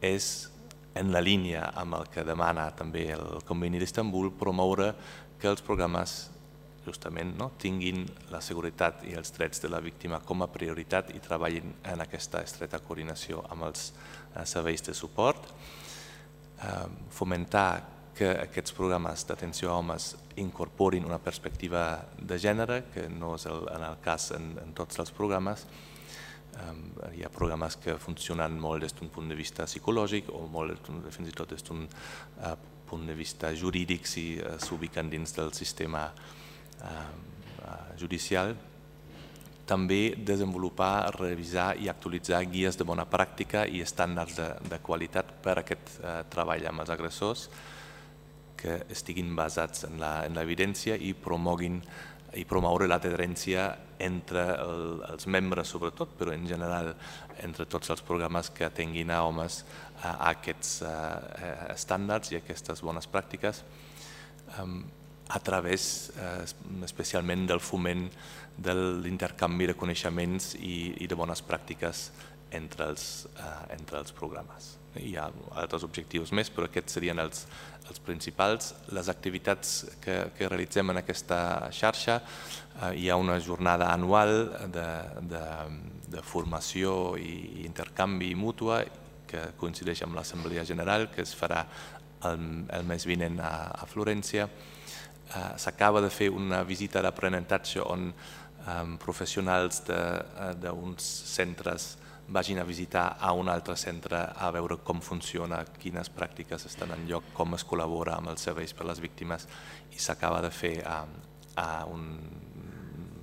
Speaker 3: és, en la línia amb el que demana també el Conveni d'Istanbul, promoure que els programes justament tinguin la seguretat i els drets de la víctima com a prioritat i treballin en aquesta estreta coordinació amb els serveis de suport, fomentar que aquests programes d'atenció a homes incorporin una perspectiva de gènere, que no és el cas en tots els programes. Hi ha programes que funcionen molt des d'un punt de vista psicològic o fins i tot des d'un punt de vista jurídic si s'ubiquen dins del sistema judicial. També desenvolupar, revisar i actualitzar guies de bona pràctica i estàndards de qualitat per a aquest treball amb els agressors que estiguin basats en l'evidència i promoure l'adherència entre els membres sobretot, però en general entre tots els programes que atenguin a homes a aquests estàndards i aquestes bones pràctiques a través especialment del foment de l'intercanvi de coneixements i de bones pràctiques entre els programes. Hi ha altres objectius més, però aquests serien els principals. Les activitats que realitzem en aquesta xarxa, hi ha una jornada anual de formació i intercanvi mútua que coincideix amb l'Assemblea General, que es farà el mes vinent a Florència. S'acaba de fer una visita d'aprenentatge on professionals d'uns centres vagin a visitar a un altre centre a veure com funciona, quines pràctiques estan en lloc, com es col·labora amb els serveis per a les víctimes, i s'acaba de fer a un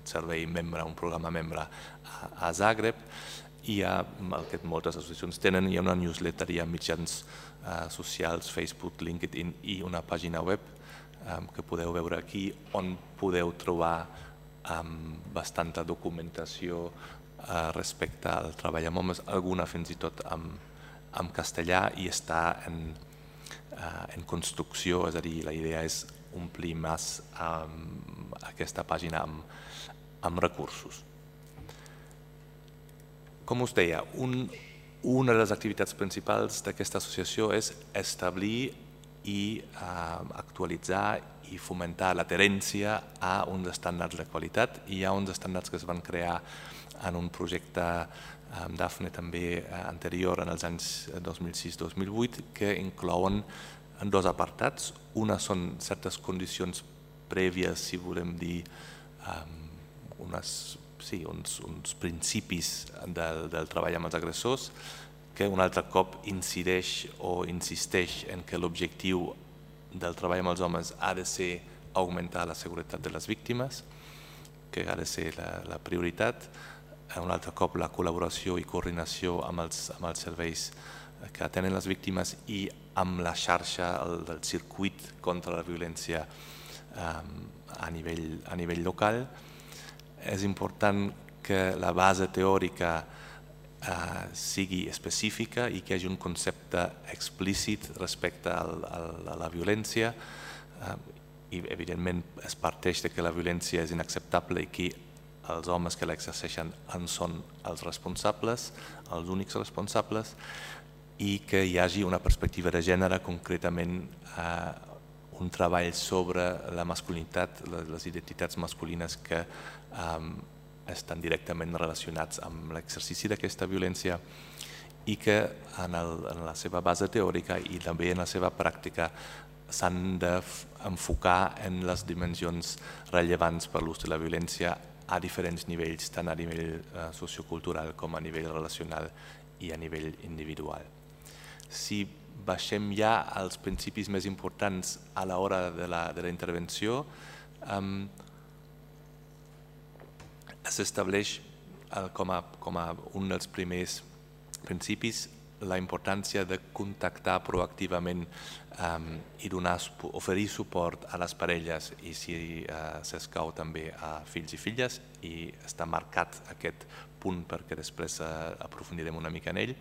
Speaker 3: servei membre, un programa membre a Zagreb. Hi ha, el que moltes associacions tenen, hi ha una newsletter, hi ha mitjans socials, Facebook, LinkedIn i una pàgina web que podeu veure aquí, on podeu trobar bastanta documentació respecte al treball amb homes, alguna fins i tot en castellà, i està en construcció, és a dir, la idea és omplir més aquesta pàgina amb recursos. Com us deia, una de les activitats principals d'aquesta associació és establir i actualitzar i fomentar l'adherència a uns estàndards de qualitat. Hi ha uns estàndards que es van crear en un projecte Daphne també anterior, en els anys 2006-2008, que inclouen dos apartats. Una són certes condicions prèvies, si volem dir, uns principis del treball amb els agressors, que un altre cop incideix o insisteix en que l'objectiu del treball amb els homes ha de ser augmentar la seguretat de les víctimes, que ha de ser la prioritat. Un altre cop la col·laboració i coordinació amb els serveis que atenen les víctimes i amb la xarxa del circuit contra la violència a nivell local. És important que la base teòrica sigui específica i que hi hagi un concepte explícit respecte a la violència i evidentment es parteix de que la violència és inacceptable i que els homes que l'exerceixen en són els responsables, els únics responsables, i que hi hagi una perspectiva de gènere, concretament un treball sobre la masculinitat, les identitats masculines que estan directament relacionats amb l'exercici d'aquesta violència i que en la seva base teòrica i també en la seva pràctica s'han d'enfocar en les dimensions rellevants per l'ús de la violència a diferents nivells, tant a nivell sociocultural com a nivell relacional i a nivell individual. Si baixem ja als principis més importants a l'hora de la intervenció, s'estableix com a un dels primers principis la importància de contactar proactivament i oferir suport a les parelles i, si s'escau, també a fills i filles, i està marcat aquest punt perquè després aprofundirem una mica en ell.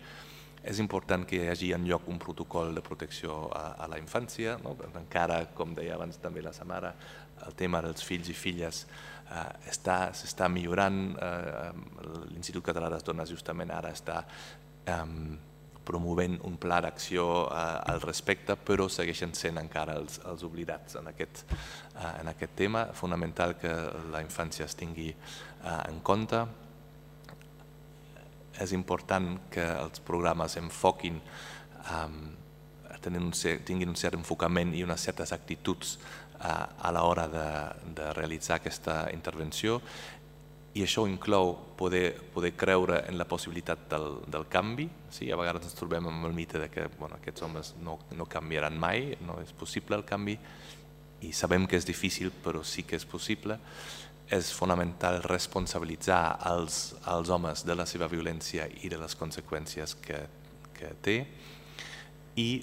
Speaker 3: És important que hi hagi en lloc un protocol de protecció a la infància, encara, com deia abans també la Samara, el tema dels fills i filles s'està millorant. L'Institut Català de les Dones justament ara està promovent un pla d'acció al respecte, però segueixen sent encara els oblidats en aquest tema. Fonamental que la infància es tingui en compte. És important que els programes enfoquin, tinguin un cert enfocament i unes certes actituds a l'hora de realitzar aquesta intervenció, i això inclou poder creure en la possibilitat del canvi. A vegades ens trobem amb el mite que aquests homes no canviaran mai, no és possible el canvi, i sabem que és difícil, però sí que és possible. És fonamental responsabilitzar els homes de la seva violència i de les conseqüències que té, i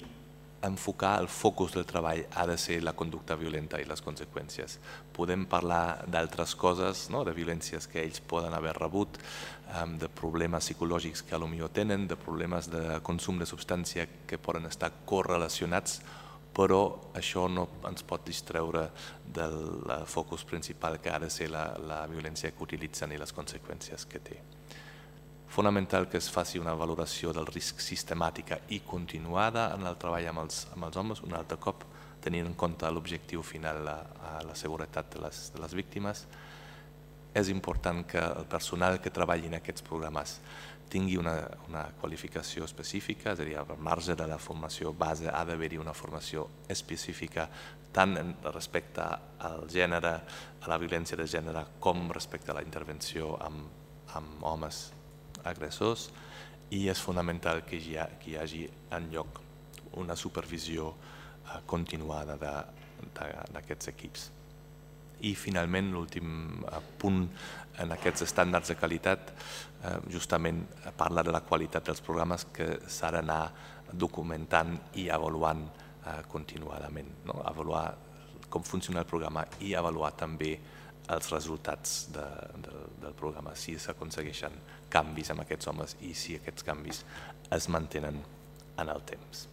Speaker 3: enfocar el focus del treball ha de ser la conducta violenta i les conseqüències. Podem parlar d'altres coses, de violències que ells poden haver rebut, de problemes psicològics que potser tenen, de problemes de consum de substància que poden estar correlacionats, però això no ens pot distreure del focus principal que ha de ser la violència que utilitzen i les conseqüències que té. Fonamental que es faci una valoració del risc sistemàtica i continuada en el treball amb els homes, un altre cop tenint en compte l'objectiu final a la seguretat de les víctimes. És important que el personal que treballi en aquests programes tingui una qualificació específica, és a dir, al marge de la formació base ha d'haver-hi una formació específica tant respecte al gènere, a la violència de gènere, com respecte a la intervenció amb homes agressors, i és fonamental que hi hagi en lloc una supervisió continuada d'aquests equips. I finalment l'últim punt en aquests estàndards de qualitat justament parla de la qualitat dels programes que s'ha d'anar documentant i avaluant continuadament, avaluar com funciona el programa i avaluar també els resultats del programa, si s'aconsegueixen canvis amb aquests homes i si aquests canvis es mantenen en el temps.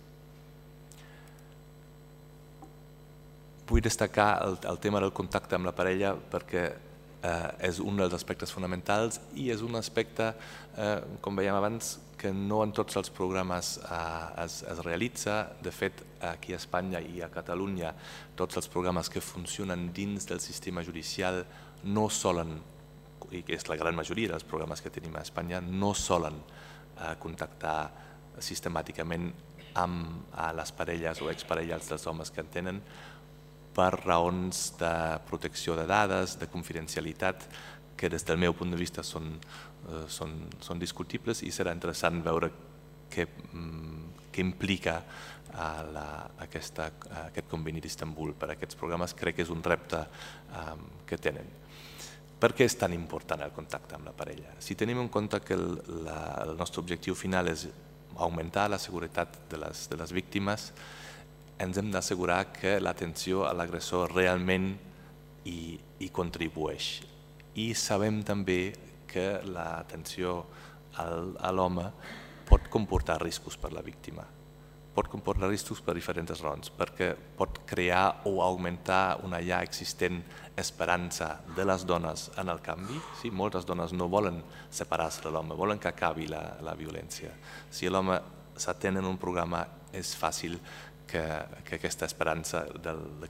Speaker 3: Vull destacar el tema del contacte amb la parella perquè és un dels aspectes fonamentals i és un aspecte, com veiem abans, que no en tots els programes es realitza. De fet, aquí a Espanya i a Catalunya, tots els programes que funcionen dins del sistema judicial no solen, i que és la gran majoria dels programes que tenim a Espanya, no solen contactar sistemàticament amb les parelles o exparelles dels homes que en tenen per raons de protecció de dades, de confidencialitat, que des del meu punt de vista són discutibles, i serà interessant veure què implica aquest conveni d'Istanbul per a aquests programes. Crec que és un repte que tenen. Per què és tan important el contacte amb la parella? Si tenim en compte que el nostre objectiu final és augmentar la seguretat de les víctimes, ens hem d'assegurar que l'atenció a l'agressor realment hi contribueix. I sabem també que l'atenció a l'home pot comportar riscos per la víctima. Pot comportar riscos per diferents raons, perquè pot crear o augmentar una ja existent esperança de les dones en el canvi. Moltes dones no volen separar-se de l'home, volen que acabi la violència. Si l'home s'atén en un programa, és fàcil que aquesta esperança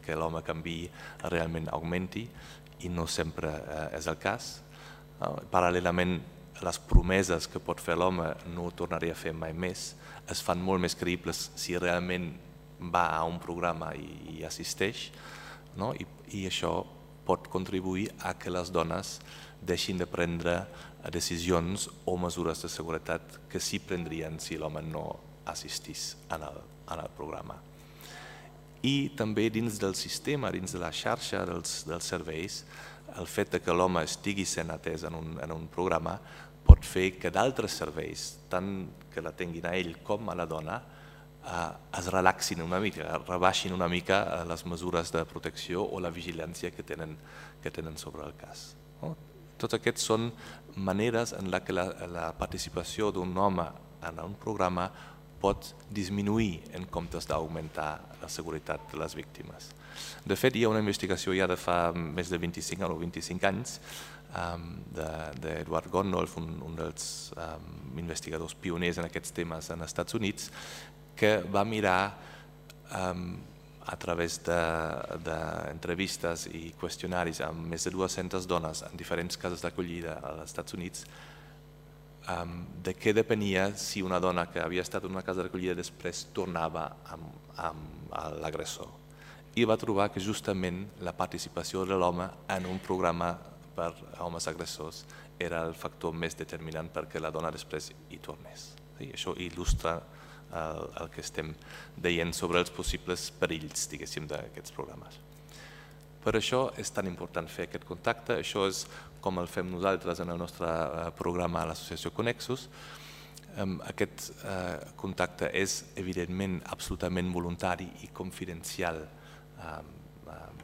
Speaker 3: que l'home canviï realment augmenti, i no sempre és el cas. Paral·lelament, les promeses que pot fer l'home no ho tornaré a fer mai més, es fan molt més creïbles si realment va a un programa i assisteix, i això pot contribuir a que les dones deixin de prendre decisions o mesures de seguretat que sí prendrien si l'home no assistís en el programa. I també dins del sistema, dins de la xarxa dels serveis, el fet que l'home estigui sent atès en un programa pot fer que d'altres serveis, tant que la tinguin a ell com a la dona, es relaxin una mica, rebaixin una mica les mesures de protecció o la vigilància que tenen sobre el cas. Tots aquests són maneres en què la participació d'un home en un programa pot disminuir en comptes d'augmentar la seguretat de les víctimes. De fet, hi ha una investigació ja de fa més de 25 o 25 anys d'Edward Gondolf, un dels investigadors pioners en aquests temes als Estats Units, que va mirar a través d'entrevistes i qüestionaris amb més de 200 dones en diferents cases d'acollida als Estats Units, de què depenia si una dona que havia estat en una casa d'acollida després tornava amb l'agressor. I va trobar que justament la participació de l'home en un programa per homes agressors era el factor més determinant perquè la dona després hi tornés. Això il·lustra el que estem dient sobre els possibles perills, diguéssim, d'aquests programes. Per això és tan important fer aquest contacte. Això és com el fem nosaltres en el nostre programa a l'associació Connexus. Aquest contacte és evidentment absolutament voluntari i confidencial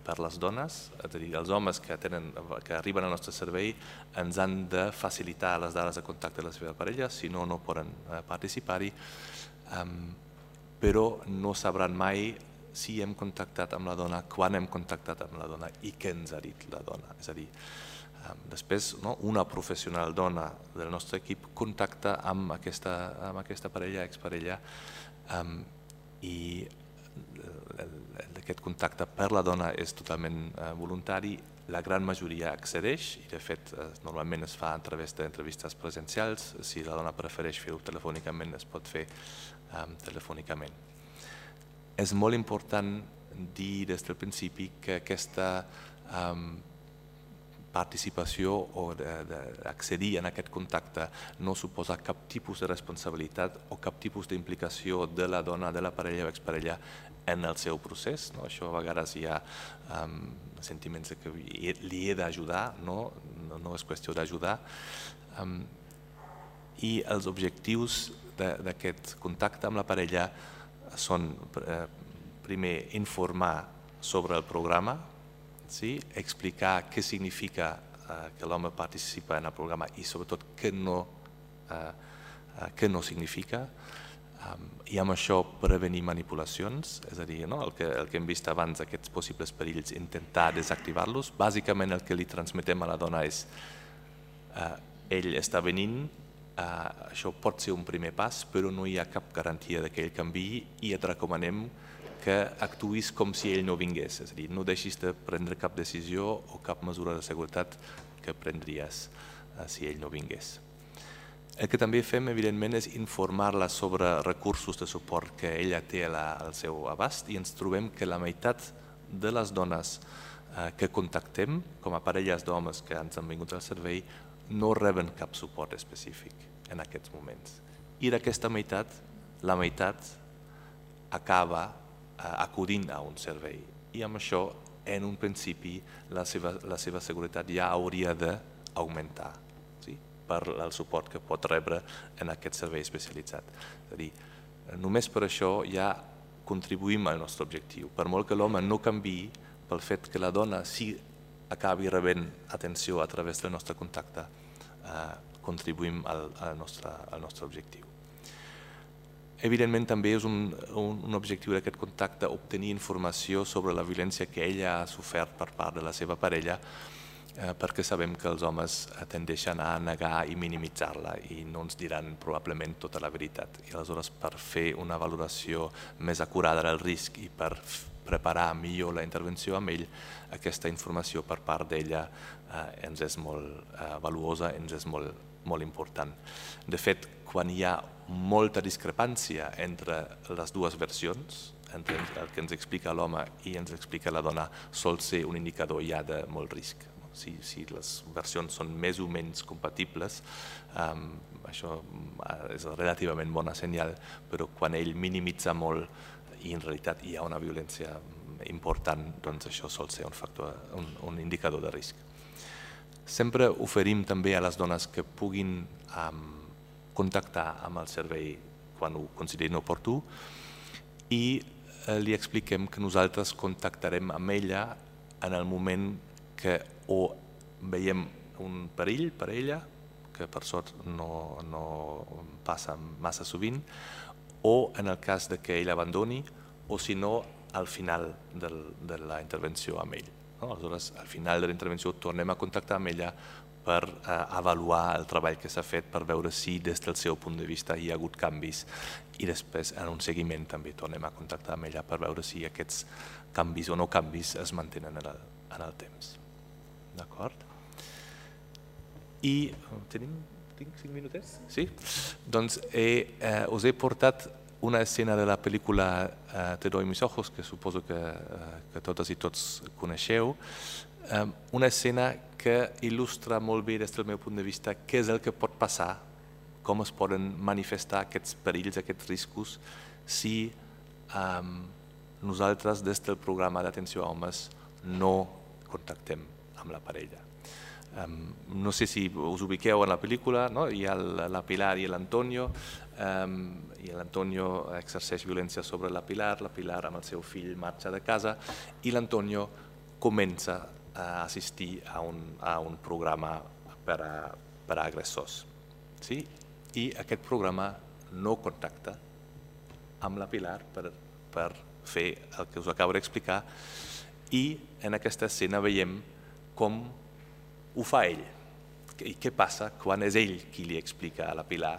Speaker 3: per les dones, és a dir, els homes que arriben al nostre servei ens han de facilitar les dades de contacte de la seva parella, si no, no poden participar-hi, però no sabran mai si hem contactat amb la dona, quan hem contactat amb la dona i què ens ha dit la dona. És a dir, després una professional dona del nostre equip contacta amb aquesta parella, exparella, i aquest contacte per la dona és totalment voluntari. La gran majoria accedeix i de fet normalment es fa a través d'entrevistes presencials. Si la dona prefereix fer-ho telefònicament, es pot fer telefònicament. És molt important dir des del principi que aquesta participació o d'accedir en aquest contacte no suposa cap tipus de responsabilitat o cap tipus d'implicació de la dona, de la parella o exparella en el seu procés. Això a vegades hi ha sentiments que li he d'ajudar, no és qüestió d'ajudar. I els objectius d'aquest contacte amb la parella són, primer, informar sobre el programa, explicar què significa que l'home participa en el programa i sobretot què no significa, I amb això prevenir manipulacions, és a dir, el que hem vist abans, aquests possibles perills, intentar desactivar-los. Bàsicament el que li transmetem a la dona és ell està venint, això pot ser un primer pas, però no hi ha cap garantia que ell canviï i et recomanem que actuïs com si ell no vingués, és a dir, no deixis de prendre cap decisió o cap mesura de seguretat que prendries si ell no vingués. El que també fem, evidentment, és informar-la sobre recursos de suport que ella té al seu abast i ens trobem que la meitat de les dones que contactem, com a parelles d'homes que ens han vingut al servei, no reben cap suport específic en aquests moments. I d'aquesta meitat, la meitat acaba acudint a un servei. I amb això, en un principi, la seva seguretat ja hauria d'augmentar per el suport que pot rebre en aquest servei especialitzat. És a dir, només per això ja contribuïm al nostre objectiu. Per molt que l'home no canviï, pel fet que la dona sí acabi rebent atenció a través del nostre contacte, contribuïm al nostre objectiu. Evidentment també és un objectiu d'aquest contacte obtenir informació sobre la violència que ella ha sofert per part de la seva parella, perquè sabem que els homes tendeixen a negar i minimitzar-la i no ens diran probablement tota la veritat. I aleshores, per fer una valoració més acurada del risc i per preparar millor la intervenció amb ell, aquesta informació per part d'ella ens és molt valuosa, ens és molt important. De fet, quan hi ha molta discrepància entre les dues versions, entre el que ens explica l'home i ens explica la dona, sol ser un indicador ja de molt risc. Si les versions són més o menys compatibles, això és relativament bona senyal, però quan ell minimitza molt i en realitat hi ha una violència important, doncs això sol ser un indicador de risc. Sempre oferim també a les dones que puguin contactar amb el servei quan ho considerin oportú i li expliquem que nosaltres contactarem amb ella en el moment que o veiem un perill per ella, que per sort no passa massa sovint, o en el cas que ell abandoni, o si no, al final de la intervenció amb ell. Aleshores, al final de la intervenció tornem a contactar amb ella per avaluar el treball que s'ha fet, per veure si des del seu punt de vista hi ha hagut canvis i després en un seguiment també tornem a contactar amb ella per veure si aquests canvis o no canvis es mantenen en el temps. D'acord? I tinc 5 minutets? Sí? Doncs us he portat una escena de la pel·lícula Te doy mis ojos, que suposo que totes i tots coneixeu, una escena que il·lustra molt bé des del meu punt de vista què és el que pot passar, com es poden manifestar aquests perills, aquests riscos, si nosaltres des del programa d'atenció a homes no contactem amb la parella. No sé si us ubiqueu en la pel·lícula, hi ha la Pilar i l'Antonio, i l'Antonio exerceix violència sobre la Pilar amb el seu fill marxa de casa i l'Antonio comença a assistir a un programa per a agressors. I aquest programa no contacta amb la Pilar per fer el que us acabo d'explicar i en aquesta escena veiem com ho fa ell i què passa quan és ell qui li explica a la Pilar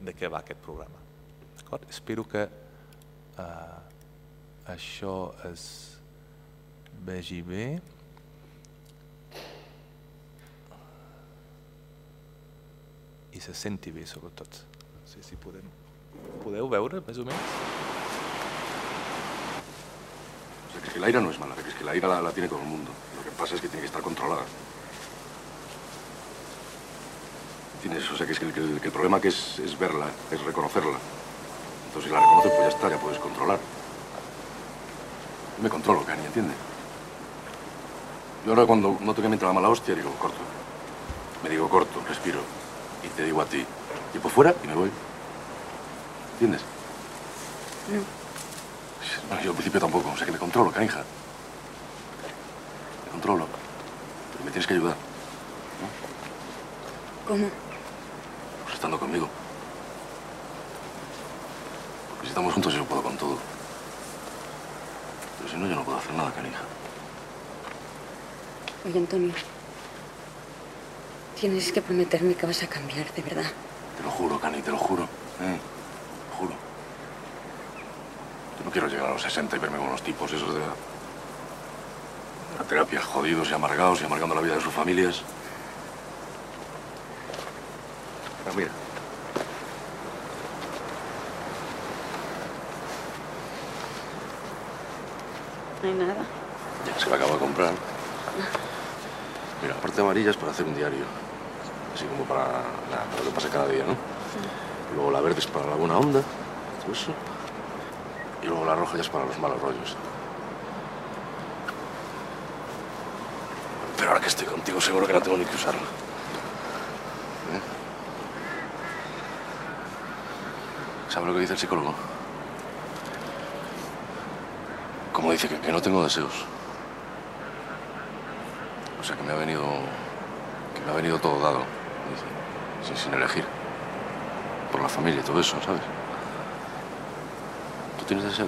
Speaker 3: de què va aquest programa. Espero que això es vegi bé. I se senti bé, sobretot. No sé si podeu veure, més o menys.
Speaker 4: O sea, que es que la ira no es mala, que es que la ira la tiene todo el mundo. Lo que pasa es que tiene que estar controlada. ¿Entiendes? O sea, que es que el problema que es verla, es reconocerla. Entonces, si la reconoces, pues ya está, ya puedes controlar. Yo me controlo, Cani, ¿entiendes? Yo ahora cuando noto que me entra la mala hostia, digo, corto. Me digo, corto, respiro. Y te digo a ti, y por fuera y me voy. ¿Entiendes?
Speaker 5: No.
Speaker 4: Bueno, yo al principio tampoco, o sea que me controlo, canija. Me controlo. Pero me tienes que ayudar. ¿No?
Speaker 5: ¿Cómo?
Speaker 4: Pues estando conmigo. Si estamos juntos yo puedo con todo. Pero si no, yo no puedo hacer nada, canija.
Speaker 5: Oye, Antonio, tienes que prometerme que vas a cambiar, de verdad.
Speaker 4: Te lo juro, Cani, te lo juro. Te lo juro. Yo no quiero llegar a los 60 y verme con unos tipos esos de la terapia, jodidos y amargados y amargando la vida de sus familias. Pero mira.
Speaker 5: No hay nada.
Speaker 4: Ya se la acabo de comprar. Mira, la parte amarilla es para hacer un diario. Así como para lo que pasa cada día, ¿no? Luego la verde es para la buena onda, todo eso. Y luego la roja ya es para los malos rollos. Pero ahora que estoy contigo seguro que no tengo ni que usarla. ¿Sabes lo que dice el psicólogo? Como dice que no tengo deseos. O sea, que me ha venido todo dado, sin elegir. Por la familia y todo eso, ¿sabes? ¿Tú tienes deseo?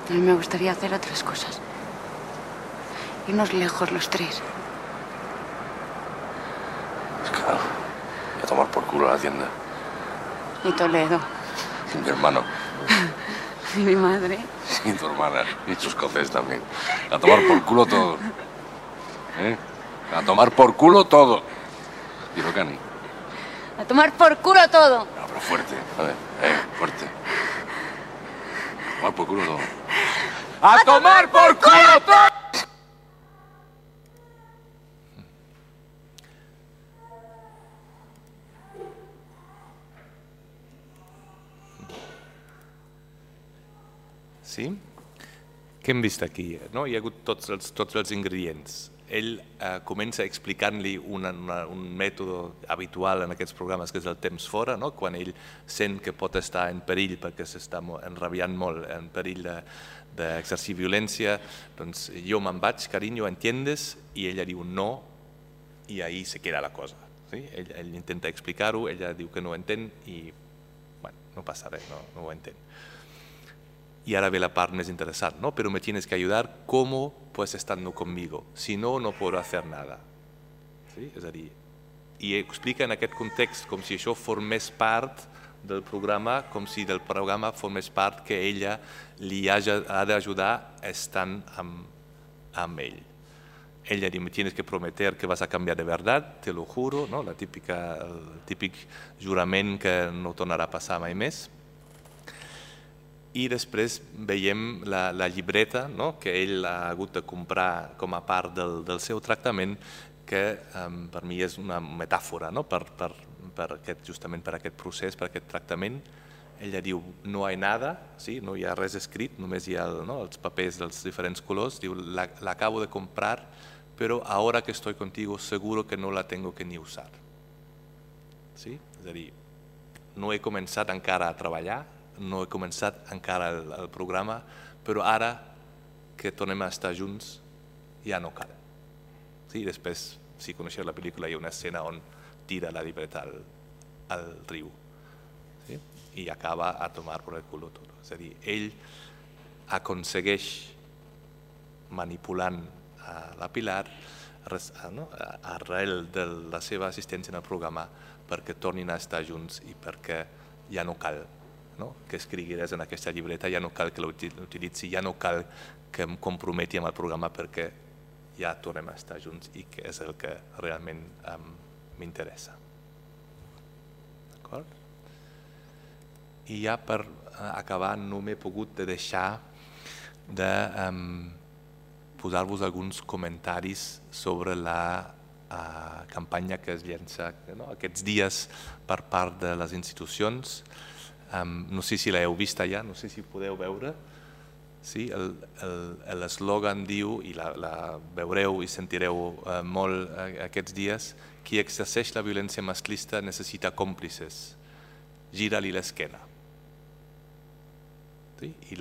Speaker 5: A mí me gustaría hacer otras cosas. Irnos lejos los tres.
Speaker 4: Es claro. Y a tomar por culo a la tienda.
Speaker 5: Y Toledo.
Speaker 4: Y mi hermano.
Speaker 5: Y mi madre.
Speaker 4: Y tu hermana. Y tus cofés también. A tomar por culo todo. A tomar por culo todo. Dilo, Cani.
Speaker 5: A tomar por culo todo.
Speaker 4: No, pero fuerte. A ver, fuerte. A tomar por culo todo. ¡A tomar por culo todo!
Speaker 3: Sí? Què hem vist aquí? No? Hi ha hagut tots els ingredients. Ell comença explicant-li un mètode habitual en aquests programes, que és el temps fora, no? Quan ell sent que pot estar en perill perquè s'està enrabiant molt, en perill d'exercir violència, doncs jo me'n vaig, carinyo, entiendes? I ella diu no, i ahí se queda la cosa. ¿Sí? Ell intenta explicar-ho, ella diu que no ho entén i bueno, no passa res, no ho entén. Y ahora ve la parte más interesante, ¿no? Pero me tienes que ayudar como pues estando conmigo, si no, no puedo hacer nada. ¿Sí? És a dir, i explica en aquest context com si això formés part del programa, com si del programa formés part que ella li ha d'ajudar estant amb ell. Ella diu, me tienes que prometer que vas a cambiar de verdad, te lo juro, no? El típic jurament que no tornarà a passar mai més. I després veiem la llibreta, no? Que ell ha hagut de comprar com a part del seu tractament, que per mi és una metàfora, no? Justament per aquest procés, per aquest tractament. Ella diu, no hi ha nada, sí? No hi ha res escrit, només hi ha els papers dels diferents colors. Diu, la acabo de comprar, pero ahora que estoy contigo seguro que no la tengo que ni usar. Sí? És a dir, no he començat encara a treballar, no he començat encara el programa, però ara que tornem a estar junts ja no cal. Sí, després, si coneixeu la pel·lícula, hi ha una escena on tira la llibreta al riu, sí? I acaba a tomar por el culo tot. És a dir, ell aconsegueix, manipulant la Pilar, arrel de la seva assistència en el programa, perquè tornin a estar junts i perquè ja no cal que escrigui res en aquesta llibreta, ja no cal que l'utilitzi, ja no cal que em comprometi amb el programa perquè ja tornem a estar junts i que és el que realment m'interessa. D'acord? I ja per acabar no m'he pogut deixar de posar-vos alguns comentaris sobre la campanya que es llença aquests dies per part de les institucions. No sé si l'heu vista ja, no sé si podeu veure. L'eslògan diu, i la veureu i sentireu molt aquests dies, qui exerceix la violència masclista necessita còmplices. Gira-li l'esquena. I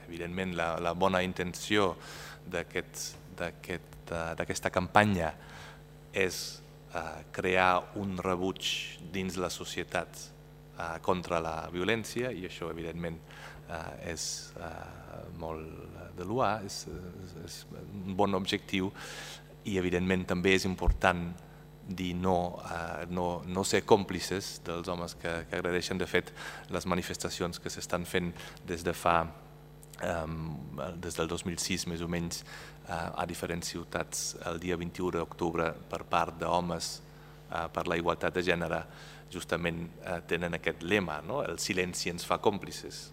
Speaker 3: evidentment la bona intenció d'aquesta campanya és crear un rebuig dins la societat contra la violència, i això evidentment és molt de loar, és un bon objectiu, i evidentment també és important dir no ser còmplices dels homes que agredeixen. De fet, les manifestacions que s'estan fent des del 2006 més o menys a diferents ciutats el dia 21 d'octubre per part d'homes per la igualtat de gènere justament tenen aquest lema, el silenci ens fa còmplices.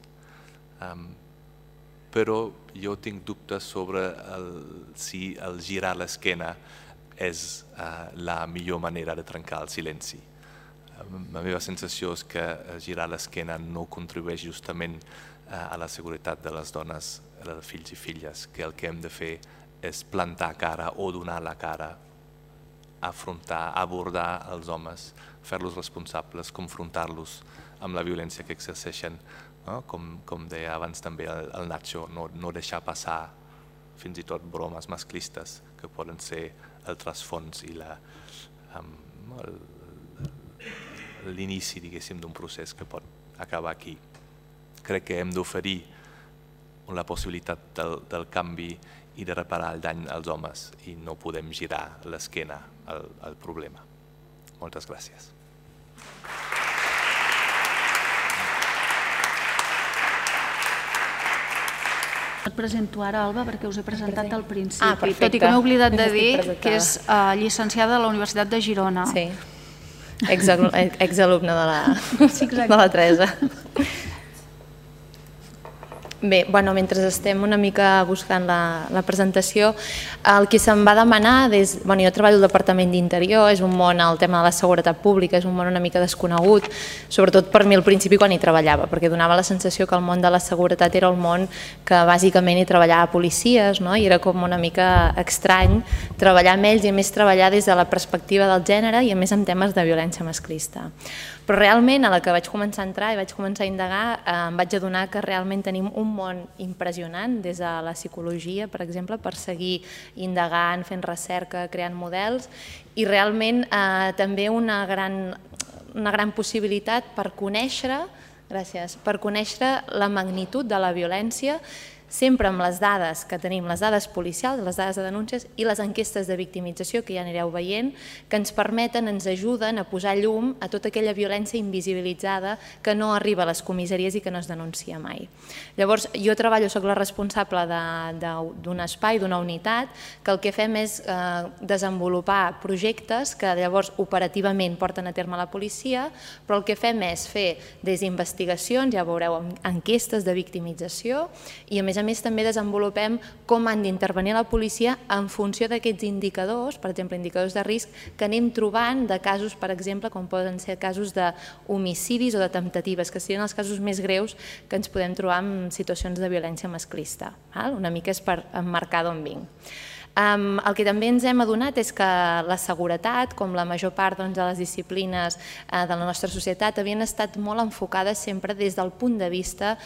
Speaker 3: Però jo tinc dubtes sobre si el girar l'esquena és la millor manera de trencar el silenci. La meva sensació és que girar l'esquena no contribueix justament a la seguretat de les dones, dels fills i filles, que el que hem de fer és plantar cara o donar la cara, afrontar, abordar els homes, fer-los responsables, confrontar-los amb la violència que exerceixen, com deia abans també el Nacho, no deixar passar fins i tot bromes masclistes que poden ser el trasfons i l'inici, diguéssim, d'un procés que pot acabar aquí. Crec que hem d'oferir la possibilitat del canvi i de reparar el dany als homes i no podem girar l'esquena al problema. Moltes gràcies.
Speaker 1: Et presento ara, Alba, perquè us he presentat al principi, tot i que m'he oblidat de dir que és llicenciada a la Universitat de Girona.
Speaker 6: Sí, exalumne de la Teresa. Bé, mentre estem una mica buscant la presentació, el que se'm va demanar, jo treballo al Departament d'Interior, és un món, el tema de la seguretat pública, és un món una mica desconegut, sobretot per mi al principi quan hi treballava, perquè donava la sensació que el món de la seguretat era el món que bàsicament hi treballava policies, i era com una mica estrany treballar amb ells i a més treballar des de la perspectiva del gènere i a més amb temes de violència masclista. Però realment, a la que vaig començar a entrar i vaig començar a indagar, em vaig adonar que realment tenim un món impressionant des de la psicologia, per exemple, per seguir indagant, fent recerca, creant models, i realment també una gran possibilitat per conèixer la magnitud de la violència, sempre amb les dades que tenim, les dades policials, les dades de denúncies i les enquestes de victimització, que ja anireu veient, que ens permeten, ens ajuden a posar llum a tota aquella violència invisibilitzada que no arriba a les comissaries i que no es denuncia mai. Llavors, jo soc la responsable d'un espai, d'una unitat, que el que fem és desenvolupar projectes que llavors operativament porten a terme la policia, però el que fem és fer des d'investigacions, ja veureu, enquestes de victimització, i a més també desenvolupem com han d'intervenir la policia en funció d'aquests indicadors, per exemple, indicadors de risc que anem trobant de casos, per exemple, com poden ser casos d'homicidis o de temptatives, que serien els casos més greus que ens podem trobar en situacions de violència masclista. Una mica és per emmarcar d'on vinc. El que també ens hem adonat és que la seguretat, com la major part de les disciplines de la nostra societat, havien estat molt enfocades sempre des del punt de vista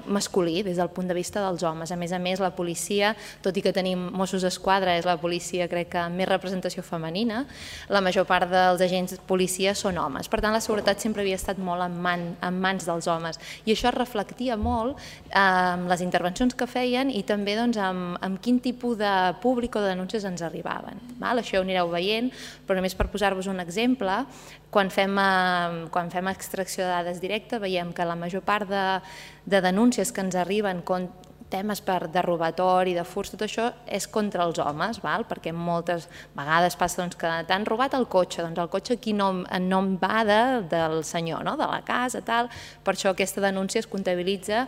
Speaker 6: masculí, des del punt de vista dels homes. A més, la policia, tot i que tenim Mossos d'Esquadra, és la policia, crec que amb més representació femenina, la major part dels agents policia són homes. Per tant, la seguretat sempre havia estat molt en mans dels homes. I això es reflectia molt en les intervencions que feien i també en quin tipus de públic o de denúncies ens arribaven. Això ho anireu veient, però només per posar-vos un exemple, quan fem extracció de dades directa veiem que la major part de denúncies que ens arriben temes de robatori, de furs, tot això és contra els homes, perquè moltes vegades passa que t'han robat el cotxe, doncs el cotxe aquí en nom va del senyor, de la casa, tal, per això aquesta denúncia es comptabilitza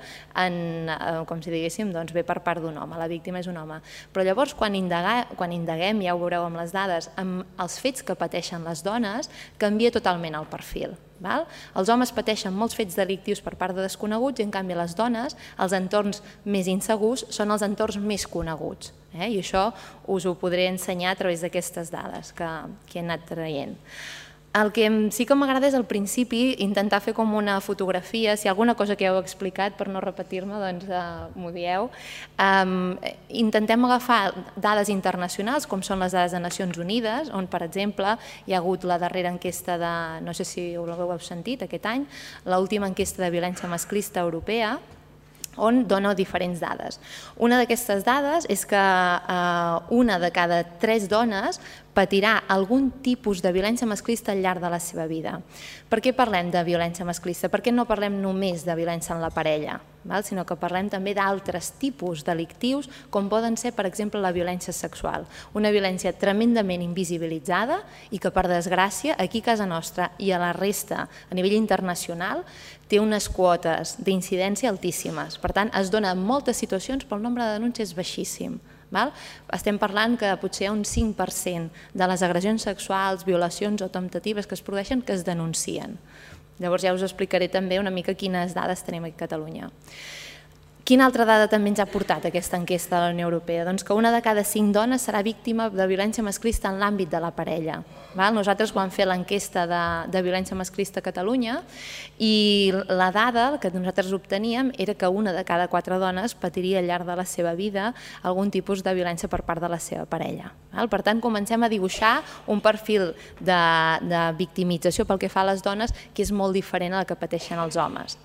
Speaker 6: com si diguéssim, ve per part d'un home, la víctima és un home. Però llavors quan indaguem, ja ho veureu amb les dades, amb els fets que pateixen les dones, canvia totalment el perfil. Els homes pateixen molts fets delictius per part de desconeguts i en canvi les dones, els entorns més insegurs són els entorns més coneguts. I això us ho podré ensenyar a través d'aquestes dades que he anat traient. El que sí que m'agrada és al principi intentar fer com una fotografia, si hi ha alguna cosa que ja heu explicat per no repetir-me, doncs m'ho dieu. Intentem agafar dades internacionals, com són les dades de Nacions Unides, on, per exemple, hi ha hagut la darrera enquesta de, no sé si ho heu sentit aquest any, l'última enquesta de violència masclista europea, on dona diferents dades. Una d'aquestes dades és que una de cada 3 dones patirà algun tipus de violència masclista al llarg de la seva vida. Per què parlem de violència masclista? Per què no parlem només de violència en la parella, sinó que parlem també d'altres tipus delictius, com poden ser, per exemple, la violència sexual. Una violència tremendament invisibilitzada i que, per desgràcia, aquí a casa nostra i a la resta, a nivell internacional, té unes quotes d'incidència altíssimes. Per tant, es dona en moltes situacions, però el nombre de denúncies és baixíssim. Estem parlant que potser hi ha un 5% de les agressions sexuals, violacions o temptatives que es produeixen que es denuncien. Llavors ja us explicaré també una mica quines dades tenim aquí a Catalunya. Quina altra dada també ens ha portat aquesta enquesta de la Unió Europea? Doncs que una de cada 5 dones serà víctima de violència masclista en l'àmbit de la parella. Nosaltres vam fer l'enquesta de violència masclista a Catalunya i la dada que nosaltres obteníem era que una de cada 4 dones patiria al llarg de la seva vida algun tipus de violència per part de la seva parella. Per tant, comencem a dibuixar un perfil de victimització pel que fa a les dones que és molt diferent a la que pateixen els homes.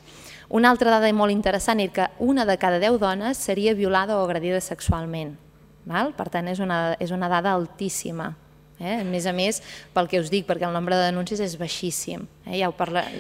Speaker 6: Una altra dada molt interessant és que una de cada 10 dones seria violada o agredida sexualment. Per tant, és una dada altíssima. A més, pel que us dic, perquè el nombre de denúncies és baixíssim.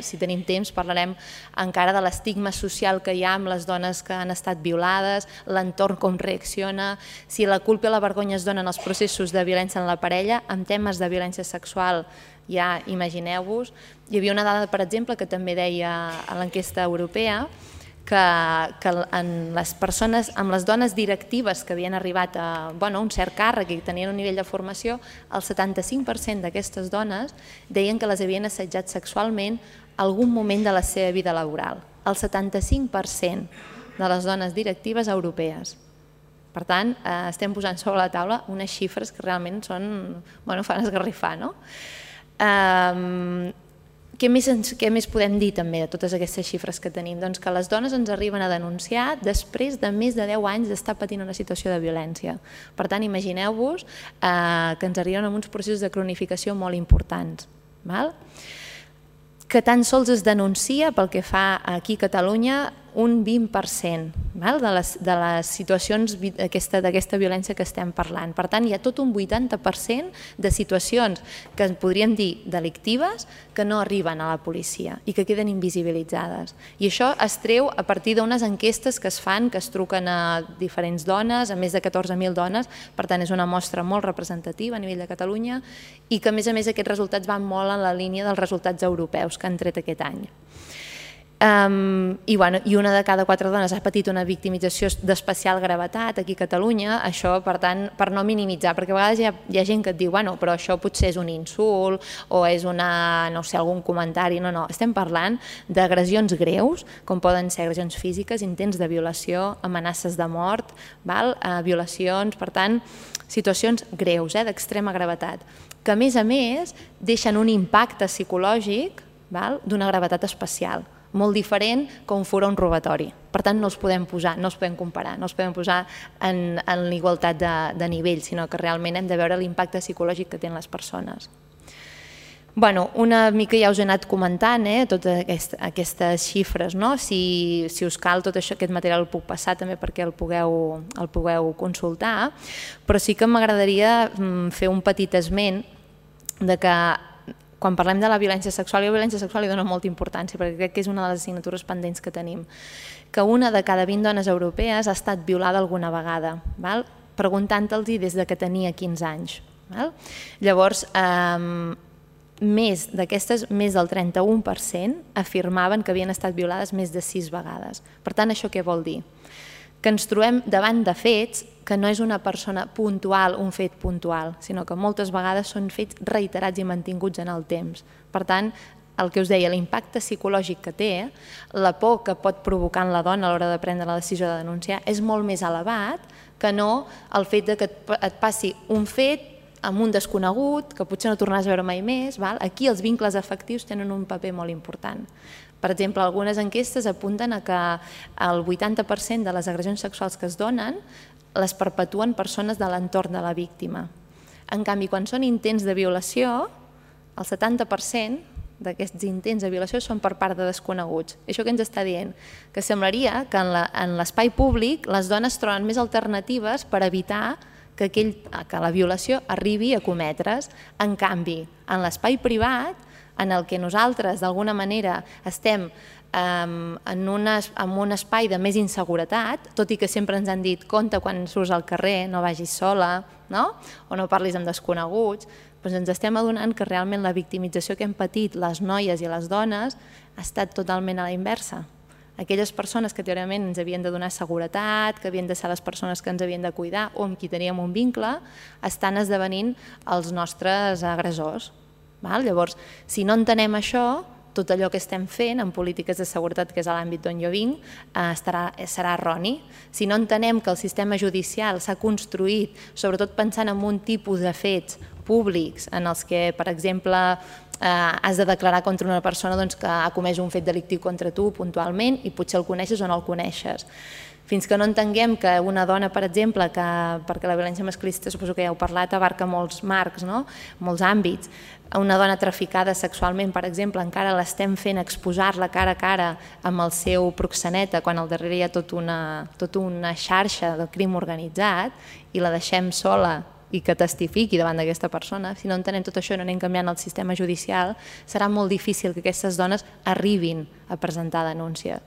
Speaker 6: Si tenim temps parlarem encara de l'estigma social que hi ha amb les dones que han estat violades, l'entorn com reacciona, si la culpa i la vergonya es donen als processos de violència en la parella, en temes de violència sexual ja imagineu-vos. Hi havia una dada, per exemple, que també deia a l'enquesta europea que amb les dones directives que havien arribat a un cert càrrec i tenien un nivell de formació, el 75% d'aquestes dones deien que les havien assetjat sexualment en algun moment de la seva vida laboral. El 75% de les dones directives europees. Per tant, estem posant sobre la taula unes xifres que realment fan esgarrifar, no? Què més podem dir també de totes aquestes xifres que tenim? Doncs que les dones ens arriben a denunciar després de més de 10 anys d'estar patint una situació de violència. Per tant, imagineu-vos que ens arriben amb uns processos de cronificació molt importants. Que tan sols es denuncia pel que fa aquí a Catalunya un 20% de les situacions d'aquesta violència que estem parlant. Per tant, hi ha tot un 80% de situacions que podríem dir delictives que no arriben a la policia i que queden invisibilitzades. I això es treu a partir d'unes enquestes que es fan, que es truquen a diferents dones, a més de 14.000 dones, per tant és una mostra molt representativa a nivell de Catalunya i que a més aquests resultats van molt en la línia dels resultats europeus que han tret aquest any. I una de cada 4 dones ha patit una victimització d'especial gravetat aquí a Catalunya, això per tant, per no minimitzar, perquè a vegades hi ha gent que et diu però això potser és un insult o és algun comentari, no, estem parlant d'agressions greus, com poden ser agressions físiques, intents de violació, amenaces de mort, violacions, per tant, situacions greus, d'extrema gravetat, que a més deixen un impacte psicològic d'una gravetat especial, molt diferent com fora un robatori. Per tant, no els podem posar, no els podem comparar, no els podem posar en l'igualtat de nivell, sinó que realment hem de veure l'impacte psicològic que tenen les persones. Una mica ja us he anat comentant totes aquestes xifres. Si us cal tot això, aquest material el puc passar també perquè el pugueu consultar, però sí que m'agradaria fer un petit esment de que quan parlem de la violència sexual, la violència sexual li dona molta importància, perquè crec que és una de les assignatures pendents que tenim, que una de cada 20 dones europees ha estat violada alguna vegada, preguntant-los des que tenia 15 anys. Llavors, d'aquestes, més del 31% afirmaven que havien estat violades més de 6 vegades. Per tant, això què vol dir? Que ens trobem davant de fets que no és una persona puntual, un fet puntual, sinó que moltes vegades són fets reiterats i mantinguts en el temps. Per tant, el que us deia, l'impacte psicològic que té, la por que pot provocar en la dona a l'hora de prendre la decisió de denunciar és molt més elevat que no el fet que et passi un fet amb un desconegut, que potser no tornaràs a veure mai més. Aquí els vincles afectius tenen un paper molt important. Per exemple, algunes enquestes apunten a que el 80% de les agressions sexuals que es donen les perpetuen persones de l'entorn de la víctima. En canvi, quan són intents de violació, el 70% d'aquests intents de violació són per part de desconeguts. Això què ens està dient? Que semblaria que en l'espai públic les dones troben més alternatives per evitar que la violació arribi a cometre's. En canvi, en l'espai privat, en el que nosaltres d'alguna manera estem en un espai de més inseguretat, tot i que sempre ens han dit compte quan surts al carrer, no vagis sola, o no parlis amb desconeguts, doncs ens estem adonant que realment la victimització que hem patit les noies i les dones ha estat totalment a la inversa. Aquelles persones que teòricament ens havien de donar seguretat, que havien de ser les persones que ens havien de cuidar o amb qui teníem un vincle, estan esdevenint els nostres agressors. Llavors, si no entenem això, tot allò que estem fent en polítiques de seguretat, que és l'àmbit d'on jo vinc, serà erroni. Si no entenem que el sistema judicial s'ha construït, sobretot pensant en un tipus de fets públics en els que, per exemple, has de declarar contra una persona que ha comès un fet delictiu contra tu puntualment i potser el coneixes o no el coneixes. Fins que no entenguem que una dona, per exemple, perquè la violència masclista, suposo que ja heu parlat, abarca molts marcs, molts àmbits. Una dona traficada sexualment, per exemple, encara l'estem fent exposar-la cara a cara amb el seu proxeneta, quan al darrere hi ha tota una xarxa del crim organitzat i la deixem sola i que testifiqui davant d'aquesta persona. Si no entenem tot això i no anem canviant el sistema judicial, serà molt difícil que aquestes dones arribin a presentar denúncia,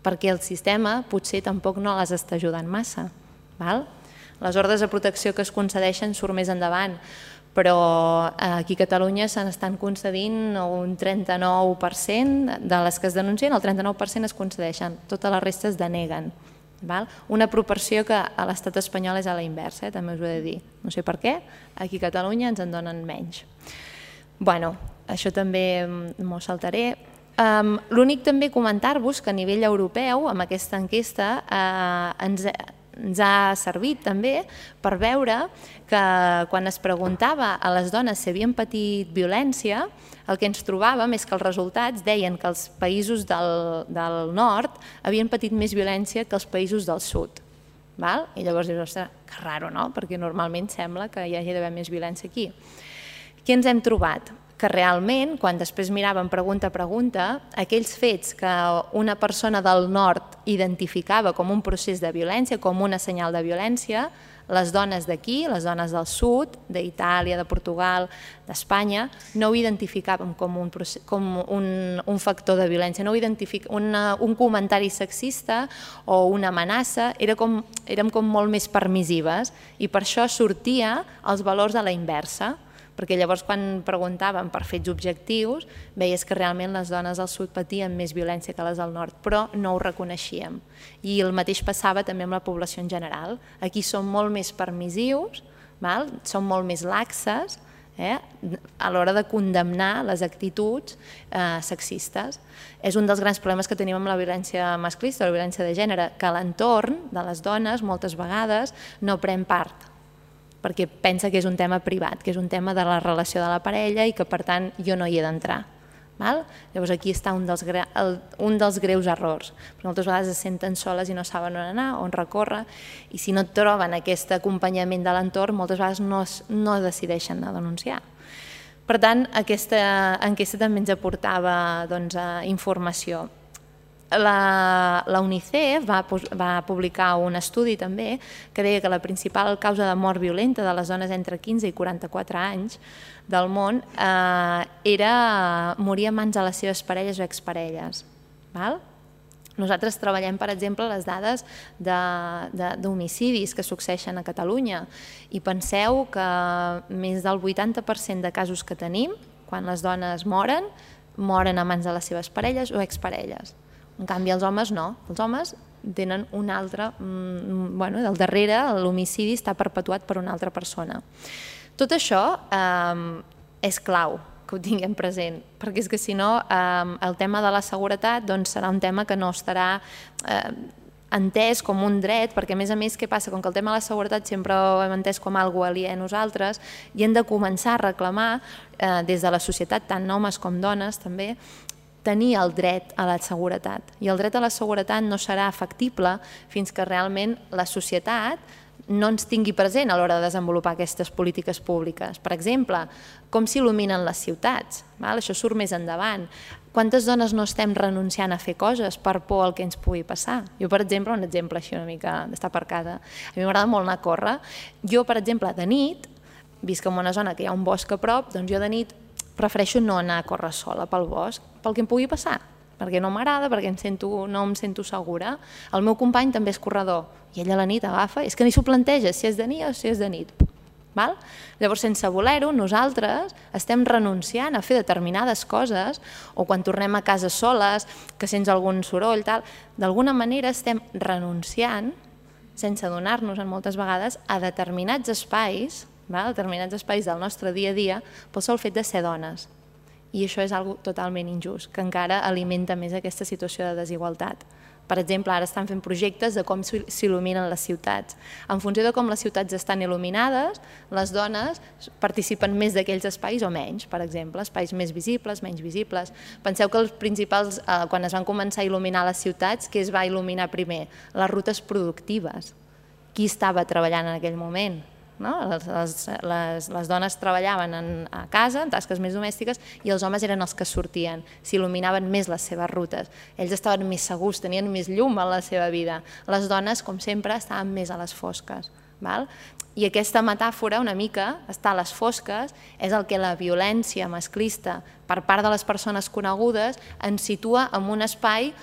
Speaker 6: perquè el sistema potser tampoc no les està ajudant massa. Les ordres de protecció que es concedeixen surt més endavant, però aquí a Catalunya se n'estan concedint un 39% de les que es denuncien, el 39% es concedeixen, totes les restes deneguen. Una proporció que a l'estat espanyol és a la inversa, també us ho he de dir. No sé per què, aquí a Catalunya ens en donen menys. Bé, això també m'ho saltaré. L'únic també comentar-vos que a nivell europeu, amb aquesta enquesta, ens ha servit també per veure que quan es preguntava a les dones si havien patit violència, el que ens trobàvem és que els resultats deien que els països del nord havien patit més violència que els països del sud. I llavors dius, ostres, que raro, no? Perquè normalment sembla que hi hagi d'haver més violència aquí. Què ens hem trobat? Que realment, quan després miràvem pregunta a pregunta, aquells fets que una persona del nord identificava com un procés de violència, com una senyal de violència, les dones d'aquí, les dones del sud, d'Itàlia, de Portugal, d'Espanya, no ho identificaven com un factor de violència, no ho identificaven, un comentari sexista o una amenaça, érem com molt més permissives i per això sortia els valors a la inversa, perquè llavors quan preguntàvem per fets objectius veies que realment les dones del sud patien més violència que les del nord, però no ho reconeixíem. I el mateix passava també amb la població en general. Aquí som molt més permissius, som molt més laxes a l'hora de condemnar les actituds sexistes. És un dels grans problemes que tenim amb la violència masclista, la violència de gènere, que l'entorn de les dones moltes vegades no pren part, perquè pensa que és un tema privat, que és un tema de la relació de la parella i que per tant jo no hi he d'entrar. Llavors aquí està un dels greus errors, perquè moltes vegades es senten soles i no saben on anar, on recórrer, i si no troben aquest acompanyament de l'entorn moltes vegades no decideixen a denunciar. Per tant, aquesta enquesta també ens aportava informació. La UNICEF va publicar un estudi també que deia que la principal causa de mort violenta de les dones entre 15 i 44 anys del món era morir a mans de les seves parelles o exparelles. Nosaltres treballem, per exemple, les dades d'homicidis que succeeixen a Catalunya i penseu que més del 80% de casos que tenim, quan les dones moren a mans de les seves parelles o exparelles. En canvi, els homes no. Els homes tenen un altre... Del darrere, l'homicidi està perpetuat per una altra persona. Tot això és clau que ho tinguem present, perquè és que si no el tema de la seguretat serà un tema que no estarà entès com un dret, perquè a més, què passa? Com que el tema de la seguretat sempre ho hem entès com algo aliè a nosaltres, i hem de començar a reclamar des de la societat, tant homes com dones també, tenir el dret a la seguretat. I el dret a la seguretat no serà factible fins que realment la societat no ens tingui present a l'hora de desenvolupar aquestes polítiques públiques. Per exemple, com s'il·luminen les ciutats? Això surt més endavant. Quantes dones no estem renunciant a fer coses per por al que ens pugui passar? Jo, per exemple, un exemple així una mica d'estar per casa. A mi m'agrada molt anar a córrer. Jo, per exemple, de nit, visc en una zona que hi ha un bosc a prop, doncs jo de nit prefereixo no anar a córrer sola pel bosc, pel que em pugui passar, perquè no m'agrada, perquè no em sento segura. El meu company també és corredor, i ell a la nit agafa, és que ni s'ho planteja si és de nit o si és de nit. Llavors, sense voler-ho, nosaltres estem renunciant a fer determinades coses, o quan tornem a casa soles, que sents algun soroll, d'alguna manera estem renunciant, sense adonar-nos moltes vegades, a determinats espais del nostre dia a dia pel sol fet de ser dones. I això és una cosa totalment injust, que encara alimenta més aquesta situació de desigualtat. Per exemple, ara estan fent projectes de com s'il·luminen les ciutats. En funció de com les ciutats estan il·luminades, les dones participen més d'aquells espais o menys, per exemple, espais més visibles, menys visibles. Penseu que els principals, quan es van començar a il·luminar les ciutats, què es va il·luminar primer? Les rutes productives. Qui estava treballant en aquell moment? Les dones treballaven a casa, en tasques més domèstiques, i els homes eren els que sortien, s'il·luminaven més les seves rutes. Ells estaven més segurs, tenien més llum en la seva vida. Les dones, com sempre, estaven més a les fosques. I aquesta metàfora, una mica, estar a les fosques, és el que la violència masclista per part de les persones conegudes ens situa en un espai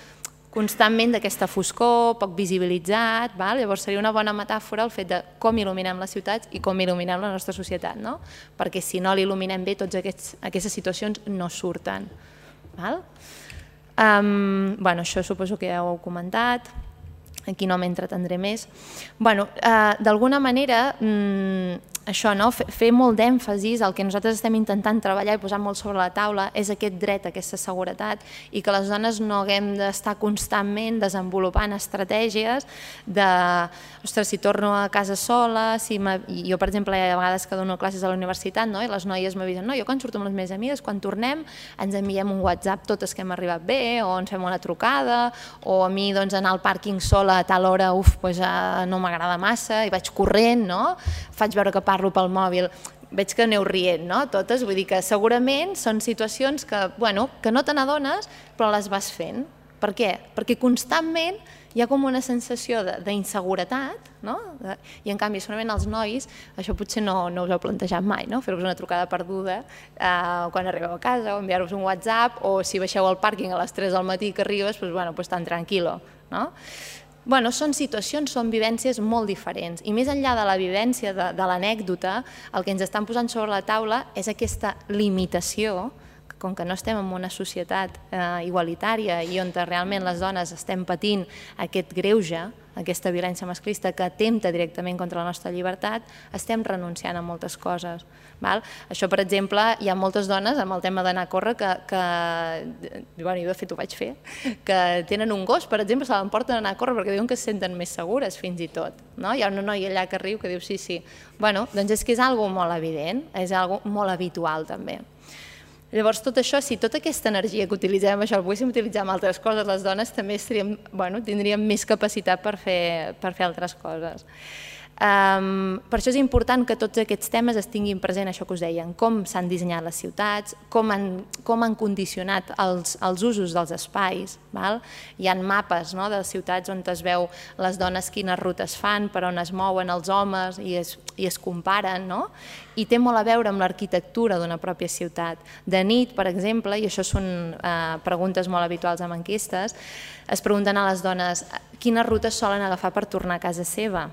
Speaker 6: constantment d'aquesta foscor, poc visibilitzat. Llavors seria una bona metàfora el fet de com il·luminem les ciutats i com il·luminem la nostra societat, perquè si no l'il·luminem bé, totes aquestes situacions no surten. Això suposo que ja ho heu comentat, aquí no m'entretendré més. D'alguna manera, això, fer molt d'èmfasis, el que nosaltres estem intentant treballar i posar molt sobre la taula és aquest dret a aquesta seguretat i que les dones no haguem d'estar constantment desenvolupant estratègies de, ostres, si torno a casa sola, jo per exemple hi ha vegades que dono classes a la universitat i les noies m'avisen, jo quan surto amb les meves amigues, quan tornem ens enviem un WhatsApp totes que hem arribat bé o ens fem una trucada o a mi anar al pàrquing sola a tal hora no m'agrada massa i vaig corrent, faig veure que parlo pel mòbil, veig que aneu rient, totes, vull dir que segurament són situacions que no te n'adones però les vas fent. Per què? Perquè constantment hi ha com una sensació d'inseguretat i en canvi segurament els nois, això potser no us heu plantejat mai, fer-vos una trucada perduda quan arribeu a casa o enviar-vos un WhatsApp o si baixeu al pàrquing a les 3 del matí que arribes, doncs tan tranquil·lo. Són situacions, són vivències molt diferents i més enllà de la vivència, de l'anècdota, el que ens estan posant sobre la taula és aquesta limitació, com que no estem en una societat igualitària i on realment les dones estem patint aquest greuge, aquesta violència masclista que atempta directament contra la nostra llibertat, estem renunciant a moltes coses. Això, per exemple, hi ha moltes dones amb el tema d'anar a córrer que, jo de fet ho vaig fer, que tenen un gos, per exemple, se l'emporten a anar a córrer perquè diuen que se senten més segures fins i tot. Hi ha una noia allà que riu que diu sí. Doncs és que és una cosa molt evident, és una cosa molt habitual també. Llavors, tot això, si tota aquesta energia que utilitzem, això el poguéssim utilitzar en altres coses, les dones també tindríem més capacitat per fer altres coses. Per això és important que tots aquests temes es tinguin present, això que us deia, com s'han dissenyat les ciutats, com han condicionat els usos dels espais. Hi ha mapes de ciutats on es veu les dones quines rutes fan, per on es mouen els homes i es comparen, i té molt a veure amb l'arquitectura d'una pròpia ciutat. De nit, per exemple, i això són preguntes molt habituals amb enquestes, es pregunten a les dones quines rutes solen agafar per tornar a casa seva.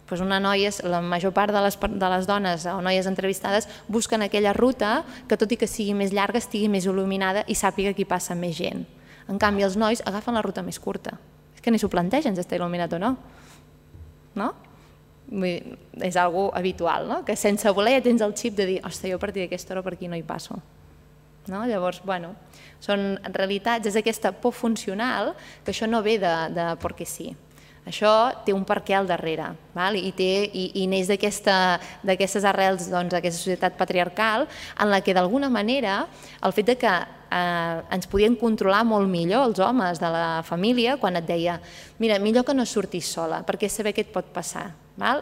Speaker 6: Una noia, la major part de les dones o noies entrevistades busquen aquella ruta que, tot i que sigui més llarga, estigui més il·luminada i sàpiga que hi passa més gent. En canvi, els nois agafen la ruta més curta. És que ni s'ho plantegen si està il·luminat o no. És una cosa habitual, que sense voler ja tens el xip de dir ostres, jo a partir d'aquesta hora per aquí no hi passo. Llavors, són realitats, és aquesta por funcional que això no ve de perquè sí. Això té un perquè al darrere, i neix d'aquestes arrels d'aquesta societat patriarcal en la que d'alguna manera el fet que ens podien controlar molt millor els homes de la família quan et deia mira, millor que no surtis sola perquè saber què et pot passar,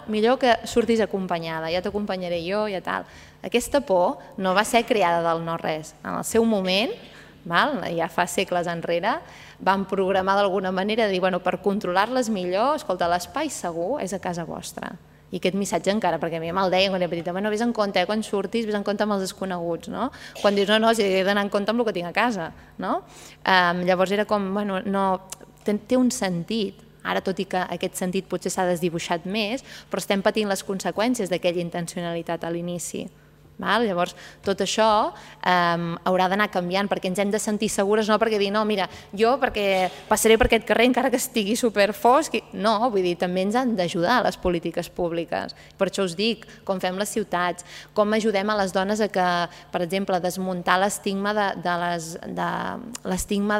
Speaker 6: millor que surtis acompanyada, ja t'acompanyaré jo, ja tal. Aquesta por no va ser creada del no-res. En el seu moment, ja fa segles enrere, van programar d'alguna manera de dir, per controlar-les millor, escolta, l'espai segur és a casa vostra. I aquest missatge encara, perquè a mi me'l deien quan era petita, vés en compte, quan surtis, vés en compte amb els desconeguts, no? Quan dius, no, he d'anar en compte amb el que tinc a casa, no? Llavors era com, té un sentit. Ara, tot i que aquest sentit potser s'ha desdibuixat més, però estem patint les conseqüències d'aquella intencionalitat a l'inici. Llavors, tot això haurà d'anar canviant perquè ens hem de sentir segures, no perquè dir, no, mira, jo perquè passaré per aquest carrer encara que estigui superfosc, no, vull dir, també ens han d'ajudar les polítiques públiques. Per això us dic, com fem les ciutats, com ajudem a les dones a que, per exemple, desmuntar l'estigma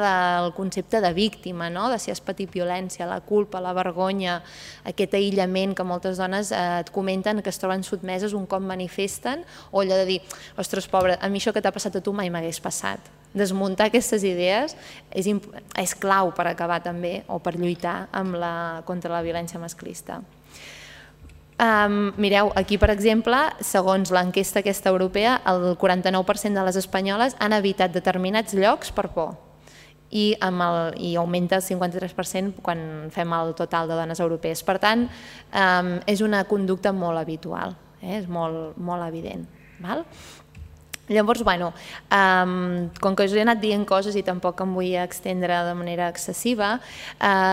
Speaker 6: del concepte de víctima, de si has patit violència, la culpa, la vergonya, aquest aïllament que moltes dones et comenten que es troben sotmeses un cop manifesten, o allò de dir, ostres, pobre, a mi això que t'ha passat a tu mai m'hagués passat. Desmuntar aquestes idees és clau per acabar també, o per lluitar contra la violència masclista. Mireu, aquí per exemple, segons l'enquesta aquesta europea, el 49% de les espanyoles han evitat determinats llocs per por i augmenta el 53% quan fem el total de dones europees. Per tant, és una conducta molt habitual, és molt evident. Llavors, com que us he anat dient coses i tampoc em vull extendre de manera excessiva,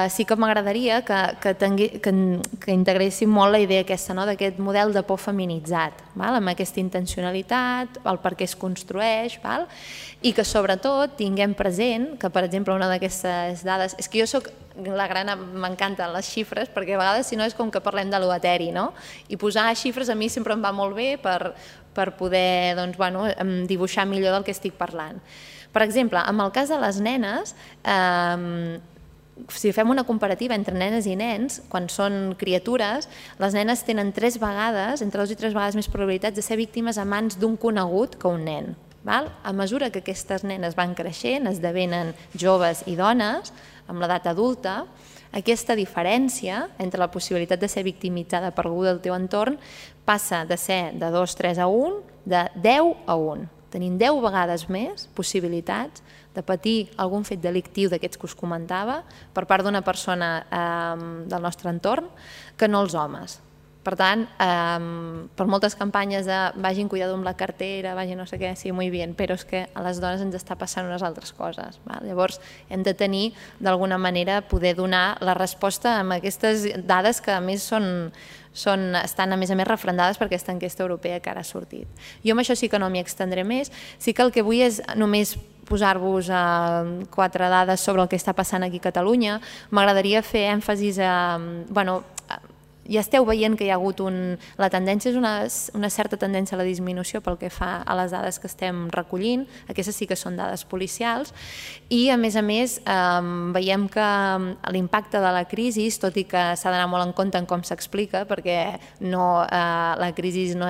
Speaker 6: sí que m'agradaria que integréssim molt la idea aquesta, d'aquest model de por feminitzat, amb aquesta intencionalitat, el per què es construeix, i que sobretot tinguem present que, per exemple, una d'aquestes dades... És que jo soc la gran... M'encanten les xifres, perquè a vegades, si no, és com que parlem de l'eteri, no? I posar xifres a mi sempre em va molt bé per poder dibuixar millor del que estic parlant. Per exemple, en el cas de les nenes, si fem una comparativa entre nenes i nens, quan són criatures, les nenes tenen 3 vegades, entre 2 i 3 vegades més probabilitats de ser víctimes a mans d'un conegut que un nen. A mesura que aquestes nenes van creixent, esdevenen joves i dones, amb l'edat adulta, aquesta diferència entre la possibilitat de ser victimitzada per algú del teu entorn passa de ser de 2, 3 a 1, de 10 a 1. Tenim 10 vegades més possibilitats de patir algun fet delictiu d'aquests que us comentava per part d'una persona del nostre entorn que no els homes. Per tant, per moltes campanyes de vagin cuidado amb la cartera, vagin no sé què, sí, molt bé, però és que a les dones ens està passant unes altres coses. Llavors, hem de tenir, d'alguna manera, poder donar la resposta amb aquestes dades que, a més, estan, a més refrendades per aquesta enquesta europea que ara ha sortit. Jo amb això sí que no m'hi extendré més. Sí que el que vull és només posar-vos 4 dades sobre el que està passant aquí a Catalunya. M'agradaria fer èmfasis a... Ja esteu veient que hi ha hagut la tendència, és una certa tendència a la disminució pel que fa a les dades que estem recollint, aquestes sí que són dades policials, i a més veiem que l'impacte de la crisi, tot i que s'ha d'anar molt en compte en com s'explica, perquè la crisi no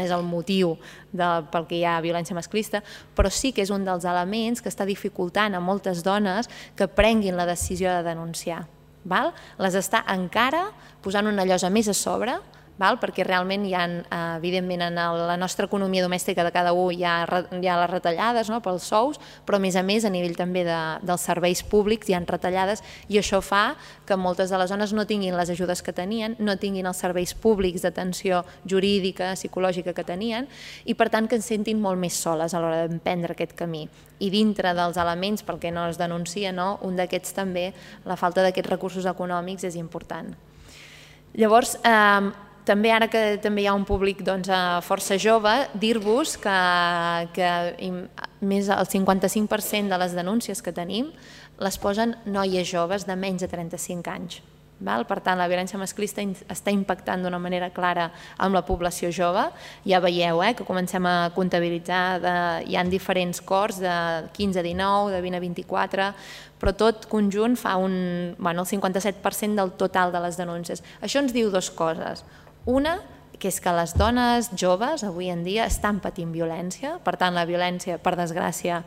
Speaker 6: és el motiu pel que hi ha violència masclista, però sí que és un dels elements que està dificultant a moltes dones que prenguin la decisió de denunciar. Les està encara posant una llosa més a sobre, perquè realment hi ha, evidentment, en la nostra economia domèstica de cada un hi ha les retallades pels sous, però a més a nivell també dels serveis públics hi ha retallades i això fa que moltes de les dones no tinguin les ajudes que tenien, no tinguin els serveis públics d'atenció jurídica, psicològica que tenien i per tant que es sentin molt més soles a l'hora d'emprendre aquest camí. I dintre dels elements pel que no es denuncia, un d'aquests també, la falta d'aquests recursos econòmics és important. Llavors, també ara que també hi ha un públic força jove, dir-vos que més del 55% de les denúncies que tenim les posen noies joves de menys de 35 anys. Per tant, la violència masclista està impactant d'una manera clara amb la població jove. Ja veieu que comencem a comptabilitzar, hi ha diferents cors de 15 a 19, de 20 a 24, però tot conjunt fa el 57% del total de les denúncies. Això ens diu dues coses. Una, que és que les dones joves avui en dia estan patint violència, per tant la violència, per desgràcia,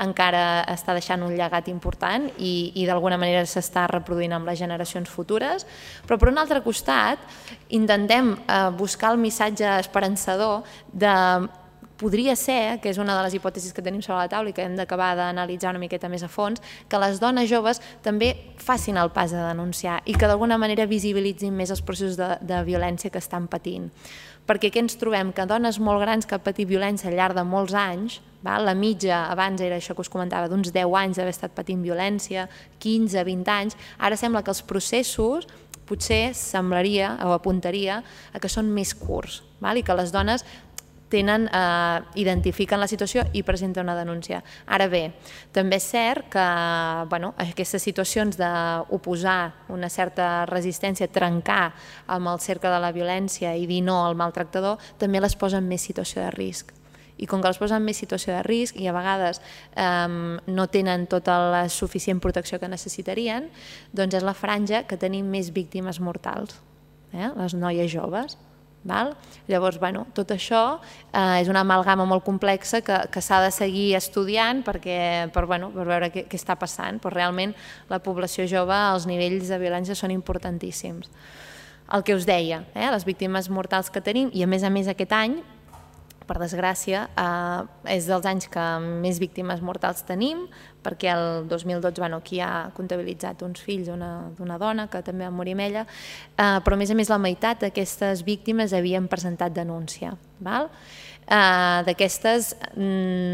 Speaker 6: encara està deixant un llegat important i d'alguna manera s'està reproduint amb les generacions futures, però per un altre costat intentem buscar el missatge esperançador de podria ser, que és una de les hipòtesis que tenim sobre la taula i que hem d'acabar d'analitzar una miqueta més a fons, que les dones joves també facin el pas de denunciar i que d'alguna manera visibilitzin més els processos de violència que estan patint. Perquè què ens trobem? Que dones molt grans que han patit violència al llarg de molts anys, la mitja abans era això que us comentava, d'uns 10 anys d'haver estat patint violència, 15, 20 anys, ara sembla que els processos potser semblaria o apuntaria a que són més curts i que les dones identifiquen la situació i presenten una denúncia. Ara bé, també és cert que aquestes situacions d'oposar una certa resistència, trencar amb el cercle de la violència i dir no al maltractador, també les posa en més situació de risc. I com que les posen en més situació de risc i a vegades no tenen tota la suficient protecció que necessitarien, doncs és la franja que tenim més víctimes mortals, les noies joves. Llavors, tot això és una amalgama molt complexa que s'ha de seguir estudiant per veure què està passant, però realment la població jove, els nivells de violència són importantíssims. El que us deia, les víctimes mortals que tenim, i a més aquest any, per desgràcia, és dels anys que més víctimes mortals tenim, perquè el 2012 aquí ha comptabilitzat uns fills d'una dona que també va morir amb ella, però a més la meitat d'aquestes víctimes havien presentat denúncia. D'aquestes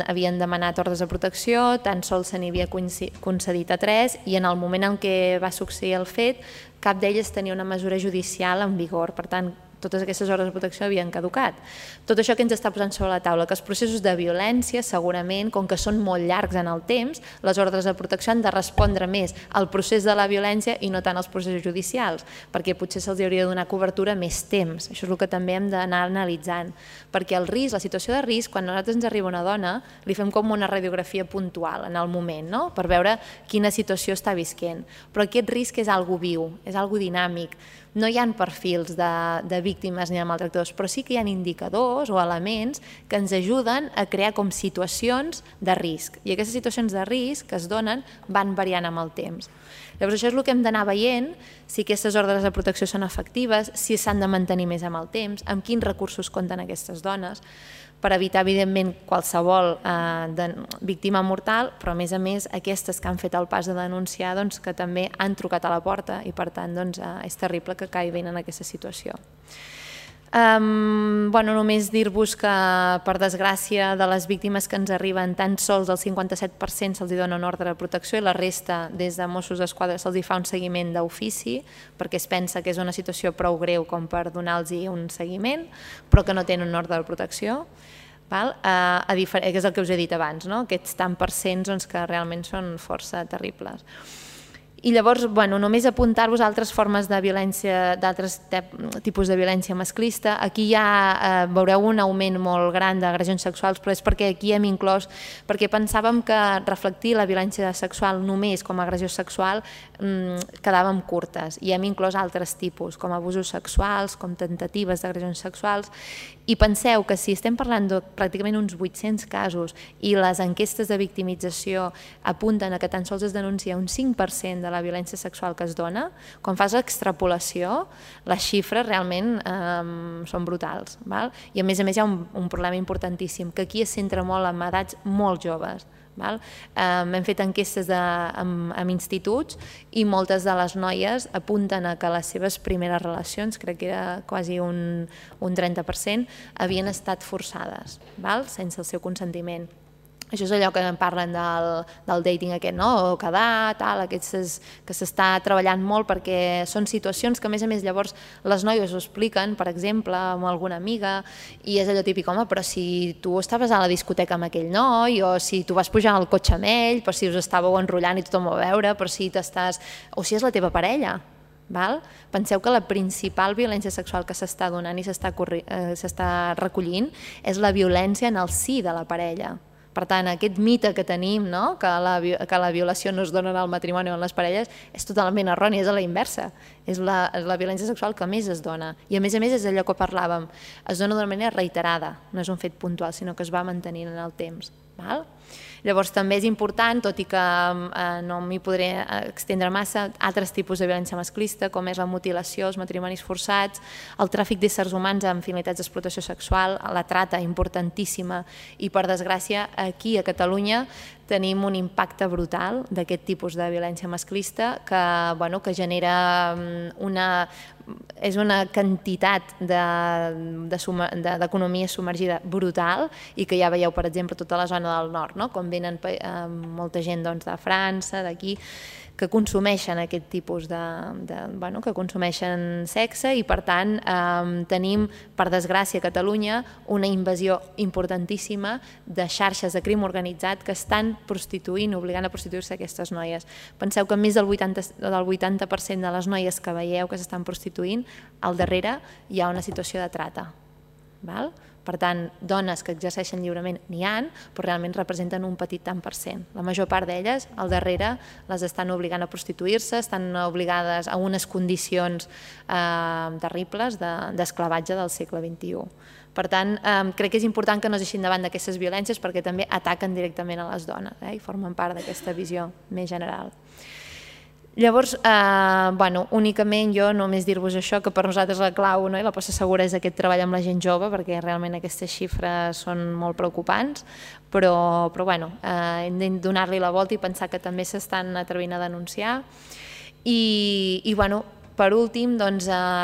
Speaker 6: havien demanat ordres de protecció, tan sols se n'havia concedit a 3 i en el moment en què va succeir el fet cap d'elles tenia una mesura judicial en vigor, per tant totes aquestes ordres de protecció havien caducat. Tot això que ens està posant sobre la taula, que els processos de violència segurament, com que són molt llargs en el temps, les ordres de protecció han de respondre més al procés de la violència i no tant als processos judicials, perquè potser se'ls hauria de donar cobertura més temps. Això és el que també hem d'anar analitzant, perquè el risc, la situació de risc, quan a nosaltres ens arriba una dona, li fem com una radiografia puntual en el moment, per veure quina situació està visquent. Però aquest risc és algo viu, és algo dinàmic. No hi ha perfils de víctimes ni de maltractadors, però sí que hi ha indicadors o elements que ens ajuden a crear com situacions de risc. I aquestes situacions de risc que es donen van variant amb el temps. Llavors això és el que hem d'anar veient, si aquestes ordres de protecció són efectives, si s'han de mantenir més amb el temps, amb quins recursos compten aquestes dones, per evitar, evidentment, qualsevol víctima mortal, però, a més, aquestes que han fet el pas de denunciar, que també han trucat a la porta i, per tant, és terrible que caiguin en aquesta situació. Només dir-vos que, per desgràcia, de les víctimes que ens arriben, tan sols el 57% se'ls dona una ordre de protecció i la resta, des de Mossos d'Esquadra, se'ls fa un seguiment d'ofici, perquè es pensa que és una situació prou greu com per donar-los un seguiment, però que no tenen una ordre de protecció, que és el que us he dit abans, aquests tant percents que realment són força terribles. I llavors, només apuntar-vos a altres formes de violència, d'altres tipus de violència masclista. Aquí ja veureu un augment molt gran d'agressions sexuals, però és perquè aquí hem inclòs, perquè pensàvem que reflectir la violència sexual només com a agressió sexual quedàvem curtes, i hem inclòs altres tipus, com abusos sexuals, com temptatives d'agressions sexuals, i penseu que si estem parlant de pràcticament uns 800 casos i les enquestes de victimització apunten a que tan sols es denuncia un 5% de la violència sexual que es dona, quan fas l'extrapolació, les xifres realment són brutals. I a més hi ha un problema importantíssim, que aquí es centra molt en edats molt joves. Hem fet enquestes en instituts i moltes de les noies apunten a que les seves primeres relacions, crec que era quasi un 30%, havien estat forçades, sense el seu consentiment. Això és allò que en parlen del dating aquest, o quedar, aquestes que s'està treballant molt, perquè són situacions que a més llavors les noies ho expliquen, per exemple, amb alguna amiga, i és allò típic, home, però si tu estaves a la discoteca amb aquell noi, o si tu vas pujar al cotxe amb ell, però si us estàveu enrotllant i tothom ho va veure, però si t'estàs... o si és la teva parella. Penseu que la principal violència sexual que s'està donant i s'està recollint és la violència en el si de la parella. Per tant, aquest mite que tenim, que la violació no es dona en el matrimoni o en les parelles, és totalment erroni, és a la inversa. És la violència sexual que més es dona. I a més és allò que parlàvem, es dona d'una manera reiterada, no és un fet puntual, sinó que es va mantenint en el temps. Llavors també és important, tot i que no m'hi podré extendre massa, altres tipus de violència masclista, com és la mutilació, els matrimonis forçats, el tràfic d'éssers humans amb finalitats d'explotació sexual, la trata importantíssima, i per desgràcia aquí a Catalunya tenim un impacte brutal d'aquest tipus de violència masclista que genera és una quantitat d'economia submergida brutal i que ja veieu, per exemple, tota la zona del nord, com venen molta gent de França, d'aquí, que consumeixen aquest tipus que consumeixen sexe i per tant tenim, per desgràcia a Catalunya, una invasió importantíssima de xarxes de crim organitzat que estan prostituint, obligant a prostituir-se aquestes noies. Penseu que més del 80% de les noies que veieu que s'estan prostituint, al darrere hi ha una situació de trata. Per tant, dones que exerceixen lliurement n'hi ha, però realment representen un petit tant per cent. La major part d'elles, al darrere, les estan obligant a prostituir-se, estan obligades a unes condicions terribles d'esclavatge del segle XXI. Per tant, crec que és important que no es deixin davant d'aquestes violències perquè també ataquen directament a les dones i formen part d'aquesta visió més general. Llavors, únicament jo només dir-vos això, que per nosaltres la clau i la posta segura és aquest treball amb la gent jove, perquè realment aquestes xifres són molt preocupants, però hem de donar-li la volta i pensar que també s'estan atrevint a denunciar. I per últim,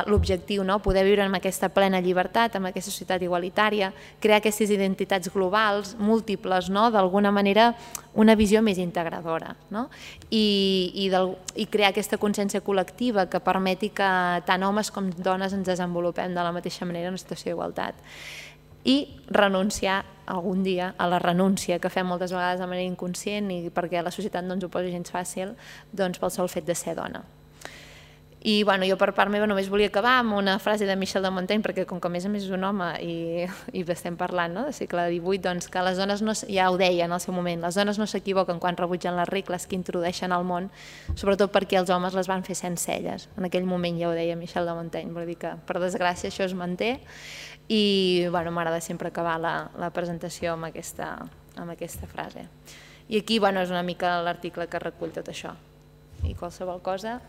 Speaker 6: l'objectiu, poder viure amb aquesta plena llibertat, amb aquesta societat igualitària, crear aquestes identitats globals, múltiples, d'alguna manera una visió més integradora i crear aquesta consciència col·lectiva que permeti que tant homes com dones ens desenvolupem de la mateixa manera en una situació d'igualtat. I renunciar algun dia a la renúncia que fem moltes vegades de manera inconscient i perquè la societat no ens ho posa gens fàcil pel sol fet de ser dona. I jo per part meva només volia acabar amb una frase de Michel de Montaigne, perquè com que a més és un home i estem parlant del segle XVIII, que les dones, ja ho deia en el seu moment, les dones no s'equivoquen quan rebutgen les regles que introdueixen al món, sobretot perquè els homes les van fer sense elles. En aquell moment ja ho deia Michel de Montaigne, vol dir que per desgràcia això es manté i m'agrada sempre acabar la presentació amb aquesta frase. I aquí és una mica l'article que recull tot això. I qualsevol cosa...